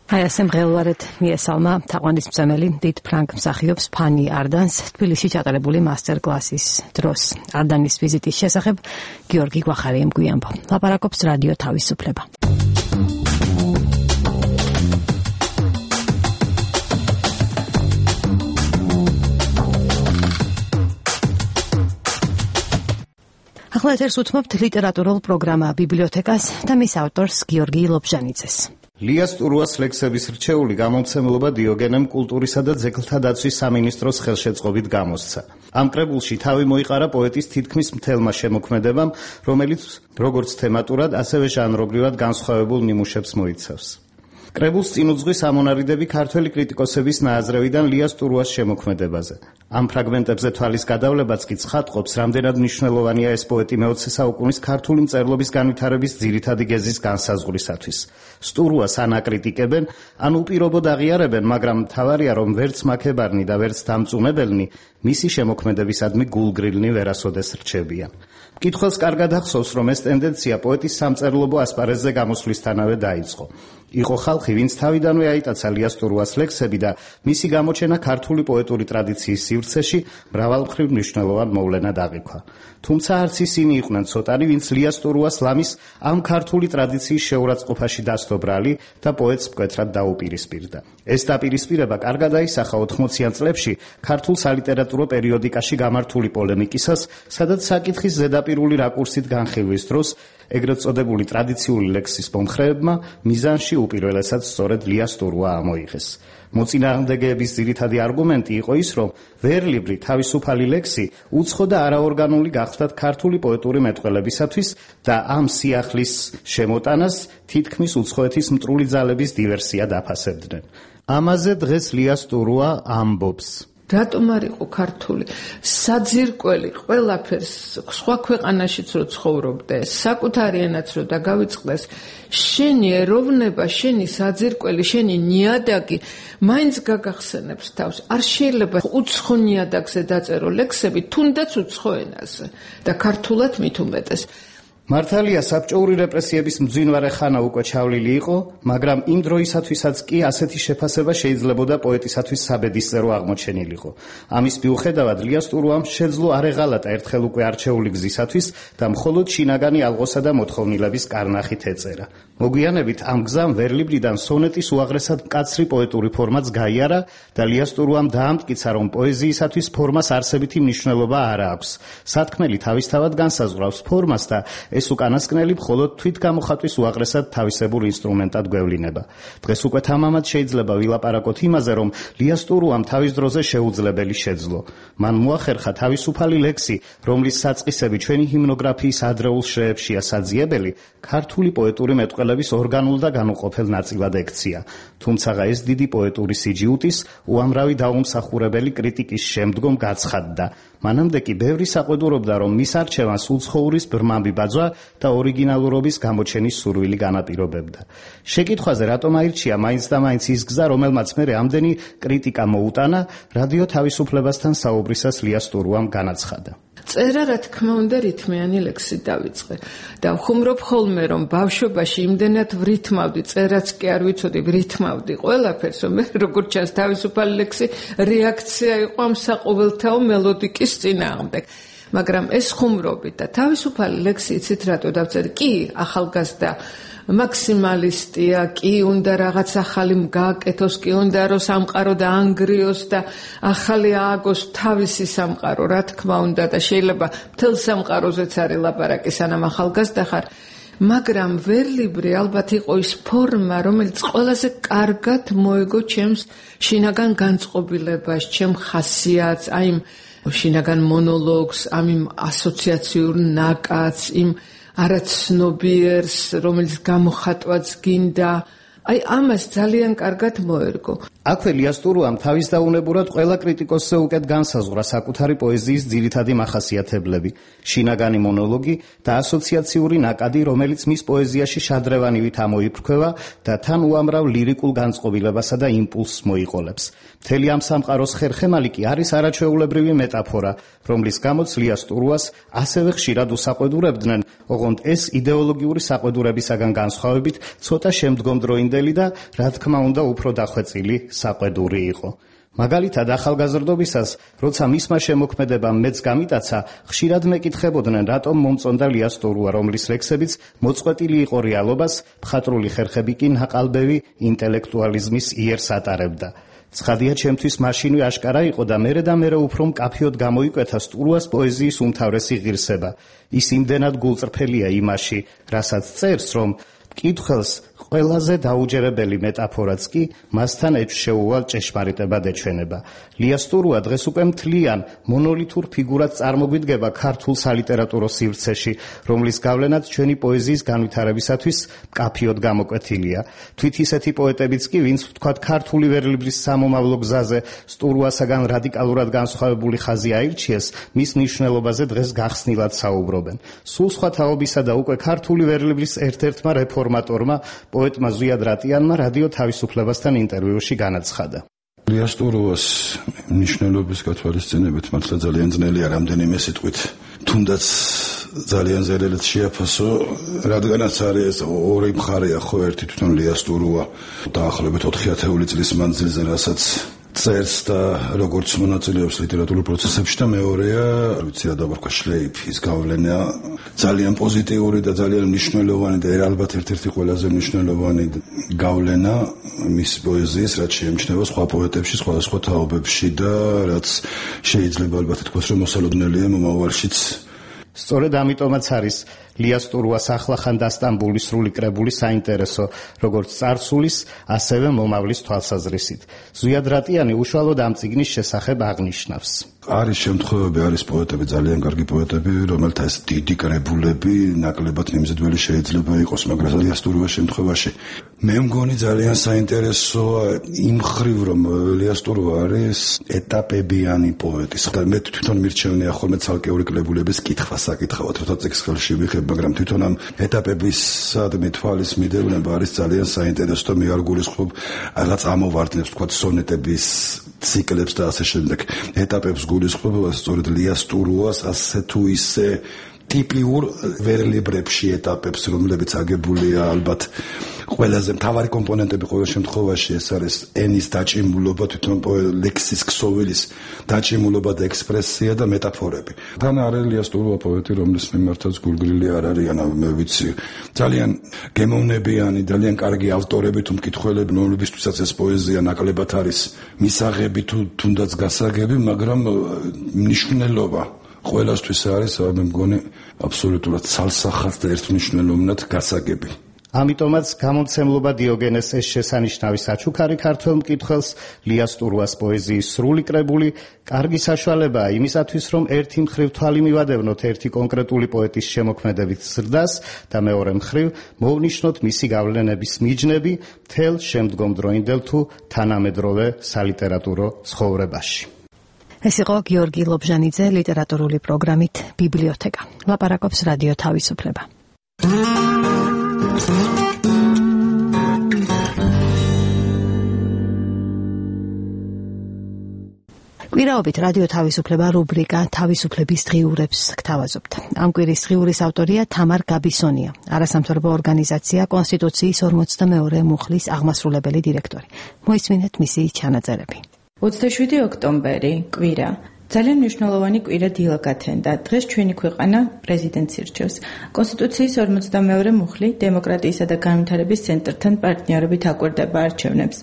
აი ასე მღელვარეთ მიესალმა თაყვანისმცემელი დიდ ფრანგ მსახიობს ფანი არდანს თბილისში ჩატარებული მასტერკლასის დროს. არდანის ვიზიტის შესახებ გიორგი გვახარიამ გვიამბო. ლაპარაკობს რადიო თავისუფლება. ახლა ეთერს უთმობთ ლიტერატურულ პროგრამა ბიბლიოთეკას და მის ავტორს გიორგი ლობჟანიძეს. ლიას ტურუას ლექსების რჩეული გამომცემლობა დიოგენემ კულტურისა და ძეგლთა დაცვის სამინისტროს ხელშეწყობით გამოსცა. ამ კრებულში თავი მოიყარა პოეტის თითქმის მთელმა შემოქმედებამ, რომელიც როგორც თემატურად, ასევე ჟანრობრივად განსხვავებულ ნიმუშებს მოიცავს. კრებულს წინ უძღვის ამონარიდები ქართველი კრიტიკოსების ნააზრევიდან ლიას ტურუას შემოქმედებაზე. ამ ფრაგმენტებზე თვალის გადავლებაც კი ცხადყოფს, რამდენად მნიშვნელოვანია ეს პოეტი მე-20 საუკუნის ქართული მწერლობის განვითარების ძირითადი გეზის განსაზღვრისათვის. სტურუას ან აკრიტიკებენ, ან უპირობოდ აღიარებენ, მაგრამ მთავარია, რომ ვერც მაქებარნი და ვერც დამწუნებელნი მისი შემოქმედებისადმი გულგრილნი ვერასოდეს რჩებიან. მკითხველს კარგად ახსოვს, რომ ეს ტენდენცია პოეტის სამწერლობო ასპარეზზე გამოსვლისთანავე დაიწყო. იყო ხალხი, ვინც თავიდანვე აიტაცა ლიას ტურუას ლექსები და მისი გამოჩენა ქართული პოეტური ტრადიციის სივრცეში მრავალმხრივ მნიშვნელოვან მოვლენად აღიქვა. თუმცა არც ისინი იყვნენ ცოტანი, ვინც ლიას ტურუას ლამის ამ ქართული ტრადიციის შეურაცხყოფაში დასდო ბრალი და პოეტს მკვეთრად დაუპირისპირდა. ეს დაპირისპირება კარგად აისახა 80-იან წლებში ქართულ სალიტერატურო პერიოდიკაში გამართული პოლემიკისას, სადაც საკითხის ზედაპირული რაკურსით განხილვის დროს ეგრეთ წოდებული ტრადიციული ლექსის მომხრეებმა მიზანში უპირველესად სწორედ ლიას ტურუა ამოიღეს. მოწინააღმდეგეების ძირითადი არგუმენტი იყო ის, რომ ვერლიბრი თავისუფალი ლექსი უცხო და არაორგანული გახდათ ქართული პოეტური მეტყველებისათვის და ამ სიახლის შემოტანას თითქმის უცხოეთის მტრული ძალების დივერსიად აფასებდნენ. ამაზე დღეს ლიას ტურუა ამბობს. რატომ არ იყო ქართული საძირკველი ყველაფერს სხვა ქვეყანაშიც რო ცხოვრობდე, საკუთარი ენაც რო დაგავიწყდეს, შენი ეროვნება, შენი საძირკველი, შენი ნიადაგი მაინც გაგახსენებს თავს. არ შეიძლება უცხო ნიადაგზე დაწერო ლექსები, თუნდაც უცხო ენაზე და ქართულად მით უმეტეს. მართალია საბჭოური რეპრესიების მძვინვარე ხანა უკვე ჩავლილი იყო, მაგრამ იმ დროისათვისაც კი ასეთი შეფასება შეიძლებოდა პოეტისათვის საბედისწერო აღმოჩენილიყო. ამის მიუხედავად ლიას ტურუამ შეძლო არ ეღალატა ერთხელ უკვე არჩეული გზისათვის და მხოლოდ შინაგანი ალღოსა და მოთხოვნილების კარნახით ეწერა. მოგვიანებით ამ გზამ ვერლიბრიდან სონეტის უაღრესად მკაცრი პოეტური ფორმაც გაიარა და ლიას ტურუამ დაამტკიცა, რომ პოეზიისათვის ფორმას არსებითი მნიშვნელობა არ აქვს. სათქმელი თავისთავად განსაზღვრავს ფორმას და ეს უკანასკნელი მხოლოდ თვითგამოხატვის უაღრესად თავისებურ ინსტრუმენტად გვევლინება. დღეს უკვე თამამად შეიძლება ვილაპარაკოთ იმაზე, რომ ლიას ტურუამ თავის დროზე შეუძლებელი შეძლო. მან მოახერხა თავისუფალი ლექსი, რომლის საწყისები ჩვენი ჰიმნოგრაფიის ადრეულ შრეებშია საძიებელი, ქართული პოეტური მეტყველების ორგანულ და განუყოფელ ნაწილად ექცია. თუმცა ეს დიდი პოეტური სიჯიუტის უამრავი დაუმსახურებელი კრიტიკის შემდგომ გაცხადდა. მანამდე კი ბევრი საყვედურობდა, რომ მის არჩევანს უცხოურის ბრმამბი ბაძვა და ორიგინალურობის გამოჩენის სურვილი განაპირობებდა. შეკითხვაზე რატომ აირჩია მაინც და მაინც ის გზა, რომელმაც მერე ამდენი კრიტიკა მოუტანა, რადიო თავისუფლებასთან საუბრისას ლიას ტურუამ განაცხადა. წერა რა თქმა უნდა რითმიანი ლექსი დავიწყე და ვხუმრობ ხოლმე რომ ბავშვობაში იმდენად ვრითმავდი, წერაც კი არ ვიცოდი, ვრითმავდი ყველაფერს, რომ მე როგორც ჩანს თავისუფალი ლექსი რეაქცია იყო ამ საყოველთაო მელოდიკის წინააღმდეგ. მაგრამ ეს ხუმრობი და თავისუფალი ლექსი იცით რატო დავწერე? კი, ახალგაზრდა მაქსიმალისტია, კი უნდა რაღაც ახალი გააკეთოს, კი უნდა რომ სამყარო დაანგრიოს და ახალი ააგოს თავისი სამყარო, რა თქმა უნდა და შეიძლება მთელ სამყაროზეც არის ლაპარაკი სანამ ახალგაზრდა ხარ. მაგრამ ვერლიბრი ალბათ იყო ის ფორმა, რომელიც ყველაზე კარგად მოეგო ჩემს შინაგან განწყობილებას, ჩემ ხასიათს, აი იმ შინაგან მონოლოგს, ამ ასოციაციურ ნაკადს, იმ არაცნობიერს, რომელიც გამოხატვაც გინდა, აი ამას ძალიან კარგად მოერგო. აქვე ლიას ტურუამ თავის დაუნებურად ყველა კრიტიკოსზე უკეთ განსაზღვრა საკუთარი პოეზიის ძირითადი მახასიათებლები, შინაგანი მონოლოგი და ასოციაციური ნაკადი, რომელიც მის პოეზიაში შადრევანივით ამოიფრქვევა და თან უამრავ ლირიკულ განწყობილებასა და იმპულსს მოიყოლებს. მთელი ამ სამყაროს ხერხემალი კი არის არაჩვეულებრივი მეტაფორა, რომლის გამოც ლიას ტურუას ასევე ხშირად უსაყვედურებდნენ, ოღონდ ეს იდეოლოგიური საყვედურებისაგან განსხვავებით ცოტა შემდგომდროინდელი და რა თქმა უნდა უფრო დახვეწილი საყვედური იყო. მაგალითად ახალგაზრდობისას, როცა მისმა შემოქმედებამ მეც გამიტაცა, ხშირად მეკითხებოდნენ, რატომ მომწონდა ლიას ტურუა, რომლის ლექსებიც მოწყვეტილი იყო რეალობას, მხატვრული ხერხები კი ნაყალბევი ინტელექტუალიზმის იერს ატარებდა. ცხადია ჩემთვის მაშინვე აშკარა იყო და მერე უფრო მკაფიოდ გამოიკვეთა ტურუას პოეზიის უმთავრესი ღირსება. ის იმდენად გულწრფელია იმაში, რასაც წერს, რომ მკითხველს ყველაზე დაუჯერებელი მეტაფორაც კი მასთან შეუვალ ჭეშმარიტებად ეჩვენება. ლიას ტურუა დღეს უკვე მთლიან მონოლითურ ფიგურად წარმოგვიდგება ქართულ სალიტერატურო სივრცეში, რომლის გავლენაც ჩვენი პოეზიის განვითარებისათვის მკაფიოდ გამოკვეთილია. თვით ისეთი პოეტებიც კი, ვინც ვთქვათ ქართული ვერლიბრის სამომავლო გზაზე ტურუასაგან რადიკალურად განსხვავებული ხაზი აირჩიეს, მის მნიშვნელობაზე დღეს გახსნილად საუბრობენ. სულ სხვა თაობისა და უკვე ქართული ვერლიბრის ერთ-ერთმა რეფორმატორმა პოეტმა ზვიად რატიანმა რადიო თავისუფლებასთან ინტერვიუში განაცხადა. ლიას ტურუას მნიშვნელობის გათვალისწინებით მართლა ძალიან ძნელია რამდენიმე სიტყვით თუნდაც ძალიან ზერელეთ შეაფასო, რადგანაც არის ორი მხარეა ხო, ერთი თვითონ ლიას ტურუა დაახლოებით 4 წლის მანძილზე, რასაც წერს და როგორც მონაწილეობს ლიტერატურულ პროცესებში და მეორეა, ვიცი რა დავარქვა, შლეიფის გავლენა ძალიან პოზიტიური და ძალიან მნიშვნელოვანი და ალბათ ერთ-ერთი ყველაზე მნიშვნელოვანი გავლენა მის პოეზიის, რაც შეემჩნევა სხვა პოეტებში, სხვადასხვა თაობებში და რაც შეიძლება ალბათ ითქვას, რომ მოსალოდნელია მომავალშიც. სწორედ ამიტომაც არის ლიას ტურუას ახლახან დასტამბული სრული კრებული საინტერესო, როგორც წარსულის, ასევე მომავლის თვალსაზრისით. ზვიად რატიანი უშუალოდ ამ წიგნის შესახებ აღნიშნავს. არის შემთხვევები, არის პოეტები, ძალიან კარგი პოეტები, რომელთა ეს დიდი კრებულები ნაკლებად მიმზიდველი შეიძლება იყოს, მაგრამ ლიას ტურუას შემთხვევაში მე მგონი ძალიან საინტერესოა იმ მხრივ, რომ ლიას ტურუა არის ეტაპებიანი პოეტი. მე თვითონ მირჩევნია ხოლმე ცალკეული კრებულების კითხვა საკითხავად, როცა წიგნს ხელში ვიღებ, მაგრამ თვითონ ამ ეტაპებისადმი თვალის მიდევნება არის ძალიან საინტერესო და მე არ გულისხმობ რაღაც ამოვარდნებს, თქვა სონეტების ციკლებს და ასე შემდეგ ეტაპებს გულისხმობ, სწორედ ლიას ტურუას ასე თუ ისე ტიპიურ ვერლებებში ეტაპებს, რომლებიც აგებულია ალბათ ყველაზე მთავარი კომპონენტები ყოველ შემთხვევაში ეს არის ენის დაჭიმულობა, თვითონ ლექსის ქსოვილის დაჭიმულობა და ექსპრესია და მეტაფორები. თან არის ლიას ტურუა პოეტი, რომლის მიმართაც გულგრილი არ არის, მე ვიცი. ძალიან გემოვნებიანი, ძალიან კარგი ავტორები თუ მკითხველები, რომლებისთვისაც ეს პოეზია ნაკლებად არის მისაღები თუ თუნდაც გასაგები, მაგრამ მნიშვნელობა ყველასთვის არის, მე მგონი აბსოლუტურად ცალსახად და ერთმნიშვნელოვნად გასაგები. ამიტომაც გამომცემლობა დიოგენეს ეს შესანიშნავი საჩუქარი ქართველ მკითხველს ლიას ტურუას პოეზიის სრული კრებული კარგი საშუალებაა იმისათვის, რომ ერთი მხრივ თვალი მივადევნოთ ერთი კონკრეტული პოეტის შემოქმედებით ზრდას და მეორე მხრივ მოვნიშნოთ მისი გავლენების მიჯნები მთელ შემდგომდროინდელ თუ თანამედროვე სალიტერატურო ცხოვრებაში. ეს იყო გიორგი ლობჟანიძე ლიტერატურული პროგრამით ბიბლიოთეკა. ლაპარაკობს რადიო თავისუფლება. კვირაობით რადიო თავისუფლება რუბრიკა თავისუფლების დღიურებს გთავაზობთ. ამ კვირის დღიურის ავტორია თამარ გაბისონია, არასამთავრობო ორგანიზაცია კონსტიტუციის 42 მუხლის აღმასრულებელი დირექტორი. მოისმინეთ მისი ჩანაწერები. 27 ოქტომბერი, კვირა. ძალიან მნიშვნელოვანი კვირა დილა გათენდა. დღეს ჩვენი ქვეყანა პრეზიდენტს ირჩევს. კონსტიტუციის 42 მუხლი დემოკრატიისა და განვითარების ცენტრთან პარტნიორობით აკვირდება არჩევნებს.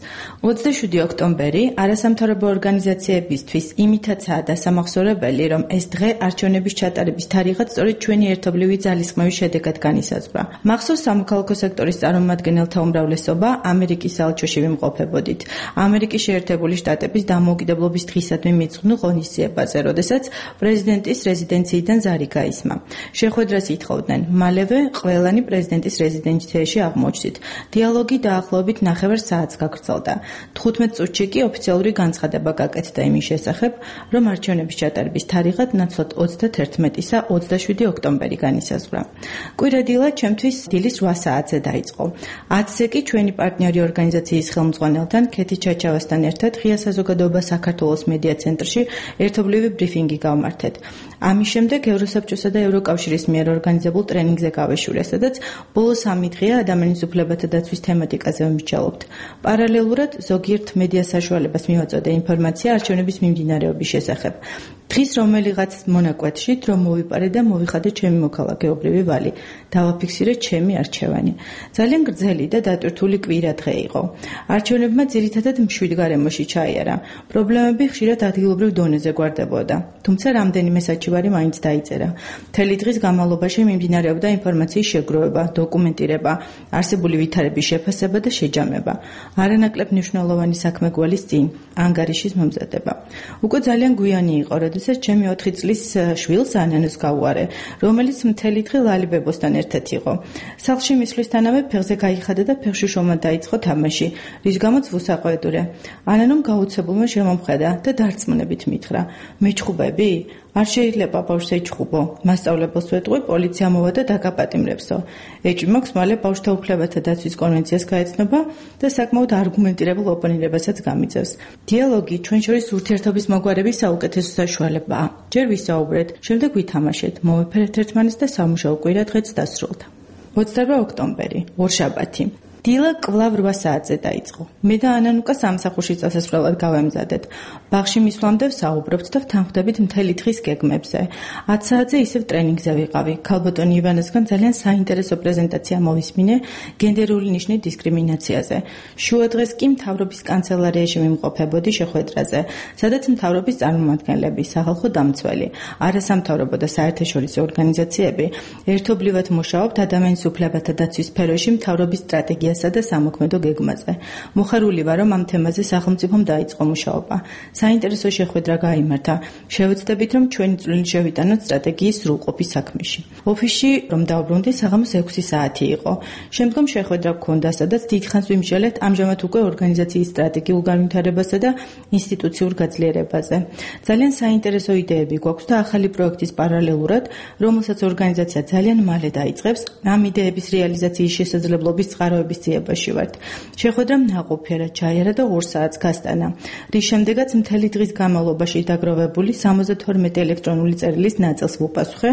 27 ოქტომბერი არასამთავრობო ორგანიზაციებისთვის იმითაცაა დასამახსოვრებელი, რომ ეს დღე არჩევნების ჩატარების თარიღად სწორედ ჩვენი ერთობლივი ძალისხმევის შედეგად განისაზღვრა. მახსოვს სამოქალაქო სექტორის წარმომადგენელთა უმრავლესობა ამერიკის საელჩოში ვიმყოფებოდით. ამერიკის შეერთებული შტატების დამოუკიდებლობის დღისადმი მიძღვნილ ღონისძიებაზე, როდესაც პრეზიდენტის რეზიდენციიდან ზარი გაისმა. შეხვედრას ითხოვდნენ. მალევე ყველანი პრეზიდენტის რეზიდენციაში აღმოჩნდით. დიალოგი დაახლოებით 9 საათს გაგრძელდა. 15 წუთში კი ოფიციალური განცხადება გაკეთდა იმის შესახებ, რომ არჩევნების ჩატარების თარიღად ნაცვლად 31-ისა 27 ოქტომბერი განისაზღვრა. კვირადილა ჩემთვის დილის 8 საათზე დაიწყო. 10-ზე კი ჩვენი პარტნიორი ორგანიზაციის ხელმძღვანელთან ქეთი ჩაჩავასთან ერთად ღია საზოგადოება საქართველოს მედია ცენტრში ერთობლივი ბრიფინგი გავმართეთ. ამის შემდეგ ევროსაბჭოსა და ევროკავშირის მიერ ორგანიზებულ ტრენინგზე გავეშურე, სადაც ბოლო 3 დღეა ადამიანის უფლებათა დაცვის თემატიკაზე ვიმსჯელობთ. პარალელურად ზოგიერთ მედია საშუალებას მივაწოდე ინფორმაცია არჩევნების მიმდინარეობის შესახებ. დღის რომელიღაც მონაკვეთში დრო მოვიპარე და მოვიხადე ჩემი მოქალაქეობრივი ვალი. დავაფიქსირე ჩემი არჩევანი. ძალიან გრძელი და დატვირთული კვირა დღე იყო. არჩევნებმა ძირითადად მშვიდ გარემოში ჩაიარა. პრობლემები ხშირად ადგილობრივ დონეზე გვარდებოდა. თუმცა რამდენიმე საჩივარი მაინც დაიწერა. მთელი დღის განმავლობაში მიმდინარეობდა ინფორმაციის შეგროვება, დოკუმენტირება, არსებული ვითარების შეფასება და შეჯამება. არანაკლებ მნიშვნელოვანი საქმე გვალის წინ, ანგარიშის მომზადება. უკვე ძალიან გვიანი იყო, როდესაც ჩემი 4 წლის შვილს ანანოს გავუარე, რომელიც მთელი დღე ლალიბებოსთან ერთად იყო. სახლში მისვლისთანავე ფეხზე გაიხადა და ფეხში შომა დაიწყო თამაში, რის გამოც ვუსაყვედურე. ანანომ გაუცებულმა შემომხედა და დარწმუნებით მითხრა: "მეჩხუბები? არ შეიძლება ბავშვს ეჩხუბო. მასწავლებელს ვეტყვი, პოლიცია მოვა და დაგაპატიმრებსო." ეჭვი მაქვს მალე ბავშვთა უფლებათა დაცვის კონვენციას გაეცნობა და საკმაოდ არგუმენტირებულ ოპონირებასაც გამიწევს. დიალოგი ჩვენ შორის ურთიერთობის მოგვარების საუკეთესო საშუალებაა. ჯერ ვისაუბრეთ, შემდეგ ვითამაშეთ, მოვეფერეთ ერთმანეთს და სამუშაო კვირა დღეც დასრულდა. 28 ოქტომბერი, ორშაბათი. დილა კვლავ 8 საათზე დაიწყო. მე და ანანუკა სამსახურში წასასვლელად გავემზადეთ. ბაღში მისვლამდე ვსაუბრობთ და ვთანხმდებით მთელი დღის გეგმებზე. 10 საათზე ისევ ტრენინგზე ვიყავი. ქალბატონ ივანესგან ძალიან საინტერესო პრეზენტაცია მოვისმინე გენდერული ნიშნის დისკრიმინაციაზე. შუა დღეს კი მთავრობის კანცელარიაში ვიმყოფებოდი შეხვედრაზე, სადაც მთავრობის წარმომადგენლები, სახალხო დამცველი, არასამთავრობო და საერთაშორისო ორგანიზაციები ერთობლივად მუშაობთ ადამიანის უფლებათა დაცვის სფეროში მთავრობის სტრატეგიას და სამოქმედო გეგმაზე. მოხარული ვარ, რომ ამ თემაზე სახელმწიფომ დაიწყო მუშაობა. საინტერესო შეხვედრა გაიმართა. შევეცდებით, რომ ჩვენი წვლილი შევიტანოთ სტრატეგიის სრულყოფის საქმეში. ოფისში რომ დავბრუნდი, საღამოს 6 საათი იყო. შემდგომ შეხვედრა გქონდა, სადაც დიდხანს ვიმსჯელეთ ამჟამად უკვე ორგანიზაციის სტრატეგიულ განვითარებასა და ინსტიტუციურ გაძლიერებაზე. ძალიან საინტერესო იდეები გვაქვს და ახალი პროექტის პარალელურად, რომელსაც ორგანიზაცია ძალიან მალე დაიწყებს, ამ იდეების რეალიზაციის შესაძლებლობის წყაროების ძიებაში ვართ. შეხვედრამ ნაყოფიერად ჩაიარა და 2 საათს გასტანა, რის შემდეგაც მთელი დღის განმავლობაში დაგროვებული 72 ელექტრონული წერილის ნაწილს ვუპასუხე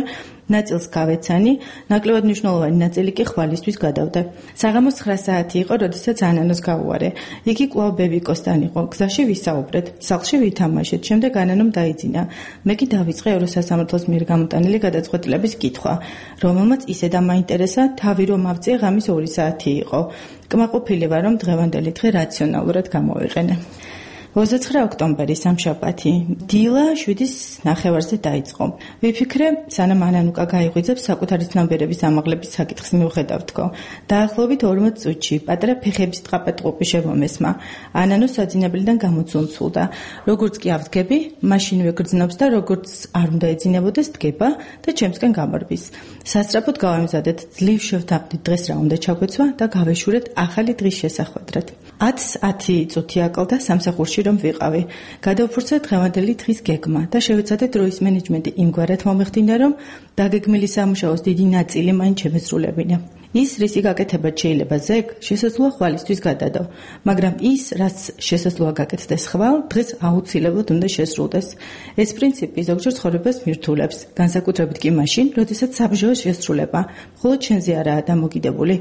ნაწილს გავეცანი, ნაკლებად მნიშვნელოვანი ნაწილი კი ხვალისთვის გადავდე. საღამოს 9 საათი იყო, როდესაც ანანოს გავუარე. იგი კვლავ ბებიკოსთან იყო. გზაში ვისაუბრეთ, სახლში ვითამაშეთ, შემდეგ ანანომ დაიძინა. მე კი დავიწყე ევროსასამართლოს მიერ გამოტანილი გადაწყვეტილების კითხვა, რომელმაც ისე დამაინტერესა, თავი რომ ავწიე ღამის 2 საათი იყო. კმაყოფილი ვარ, რომ დღევანდელი დღე რაციონალურად გამოვიყენე. 29 ოქტომბერი სამშაბათი. დილა 7:30-ზე დაიწყო. ვიფიქრე, სანამ ანანუკა გაიღვიძებს საკუთარი ცნობიერების ამაღლების საკითხს მიუხედავთქო. დაახლოებით 40 წუთში პატარა ფეხების ტყაპატყუპი შემომესმა. ანანო საძინებლიდან გამოცულცულდა. როგორც კი ავდგები, მაშინვე გრძნობს და როგორც არ უნდა ეძინებოდეს დგება და ჩემსკენ გამარბის. სასწრაფოდ გავამზადეთ, ძლივ შევთანხმდით დღეს რა უნდა ჩაგვეცვა და გავეშურეთ ახალი დღის შესახვედრად. 10 წუთი აკლდა სამსახურში რომ ვიყავი. გადავფურცე დღევანდელი დღის გეგმა და შევეცადე დროის მენეჯმენტი იმგვარად მომეხდინა, რომ დაგეგმილი სამუშაოს დიდი ნაწილი მაინც შემესრულებინა. ის, რისი გაკეთებაც შეიძლება ზეგ, შესაძლოა ხვალისთვის გადადო, მაგრამ ის, რაც შესაძლოა გაკეთდეს ხვალ, დღეს აუცილებლად უნდა შესრულდეს. ეს პრინციპი ზოგჯერ ცხოვრებას მირთულებს, განსაკუთრებით კი მაშინ, როდესაც საბრძოლო შესრულება მხოლოდ შენზე არაა დამოკიდებული.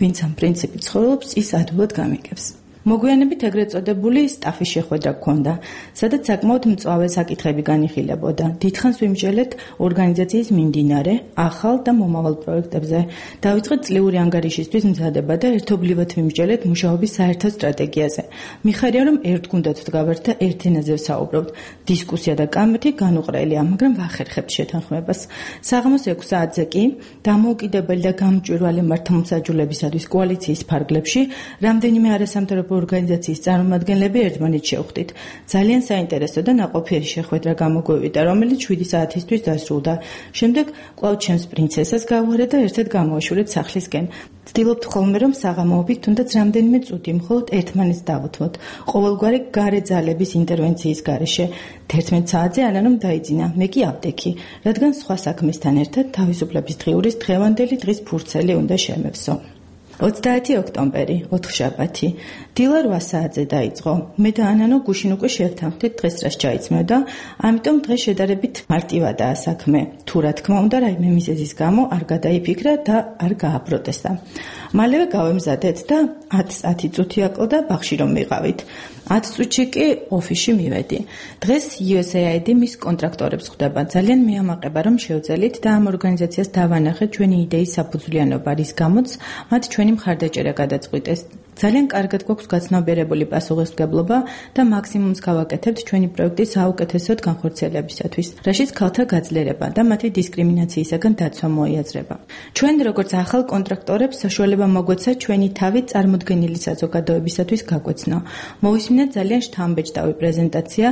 ვინც ამ პრინციპით ცხოვრობს, ის ადვილად გამიგებს. მოგვიანებით ეგრეთ წოდებული სტაფის შეხვედრა გქონდა, სადაც საკმაოდ მწვავე საკითხები განიხილებოდა. დიდხანს ვიმსჯელეთ ორგანიზაციის მიმდინარე, ახალ და მომავალ პროექტებზე. დავიწყეთ წლიური ანგარიშისთვის მზადება და ერთობლივად ვიმსჯელეთ მუშაობის საერთო სტრატეგიაზე. მიხარია, რომ ერთ გუნდად ვდგავართ და ერთ ენაზე ვსაუბრობთ. დისკუსია და კამათი განუყრელია, მაგრამ ვახერხებთ შეთანხმებას. საღამოს 6 საათზე კი დამოუკიდებელი და გამჭვირვალე მართლმსაჯულებისათვის კოალიციის ფარგლებში რამდენიმე არასამთავრობო ორგანიზაციის წარმომადგენლები ერთმანეთს შევხვდით. ძალიან საინტერესო და ნაყოფიერი შეხვედრა გამოგვივიდა, რომელიც 7 საათისთვის დასრულდა. შემდეგ კვლავ ჩემს პრინცესას გავუარე და ერთად გამოვაშურეთ სახლისკენ. ვცდილობთ ხოლმე, რომ საღამოობით თუნდაც რამდენიმე წუთი მხოლოდ ერთმანეთს დავუთმოთ. ყოველგვარი გარე ძალების ინტერვენციის გარეშე. 11 საათზე ანანომ დაიძინა, მე კი ავდექი, რადგან სხვა საქმესთან ერთად თავისუფლების დღიურის დღევანდელი დღის ფურცელი უნდა შემევსო. 30 ოქტომბერი, 4 შაბათი. დილა 8 საათზე დაიწყო. მე და ანანო გუშინ უკვე შევთანხმდით დღეს რას ჩაიცმევდა, ამიტომ დღეს შედარებით მარტივადაა საქმე. თუ რა თქმა უნდა, რაიმე მიზეზის გამო არ გადაიფიქრა და არ გააპროტესტა. მალევე გავემზადეთ და 10 წუთი აკლდა ბაღში რომ ვიყავით. 10 წუთში კი ოფისში მივედი. დღეს USAID მის კონტრაქტორებს ხვდება. ძალიან მეამაყება რომ შევძელით და ამ ორგანიზაციას დავანახეთ ჩვენი იდეის საფუძვლიანობა, რის გამოც მათ ჩვენი მხარდაჭერა გადაწყვიტეს. ძალიან კარგად გვაქვს გაცნობიერებული პასუხისმგებლობა და მაქსიმუმს გავაკეთებთ ჩვენი პროექტის საუკეთესოდ განხორციელებისათვის, რაშიც ქალთა გაძლიერება და მათი დისკრიმინაციისაგან დაცვა მოიაზრება. ჩვენ როგორც ახალ კონტრაქტორებს საშუალება მოგვეცა ჩვენი თავი წარმოდგენილი საზოგადოებისათვის გაგვეცნო. მოვისმინეთ ძალიან შთამბეჭდავი პრეზენტაცია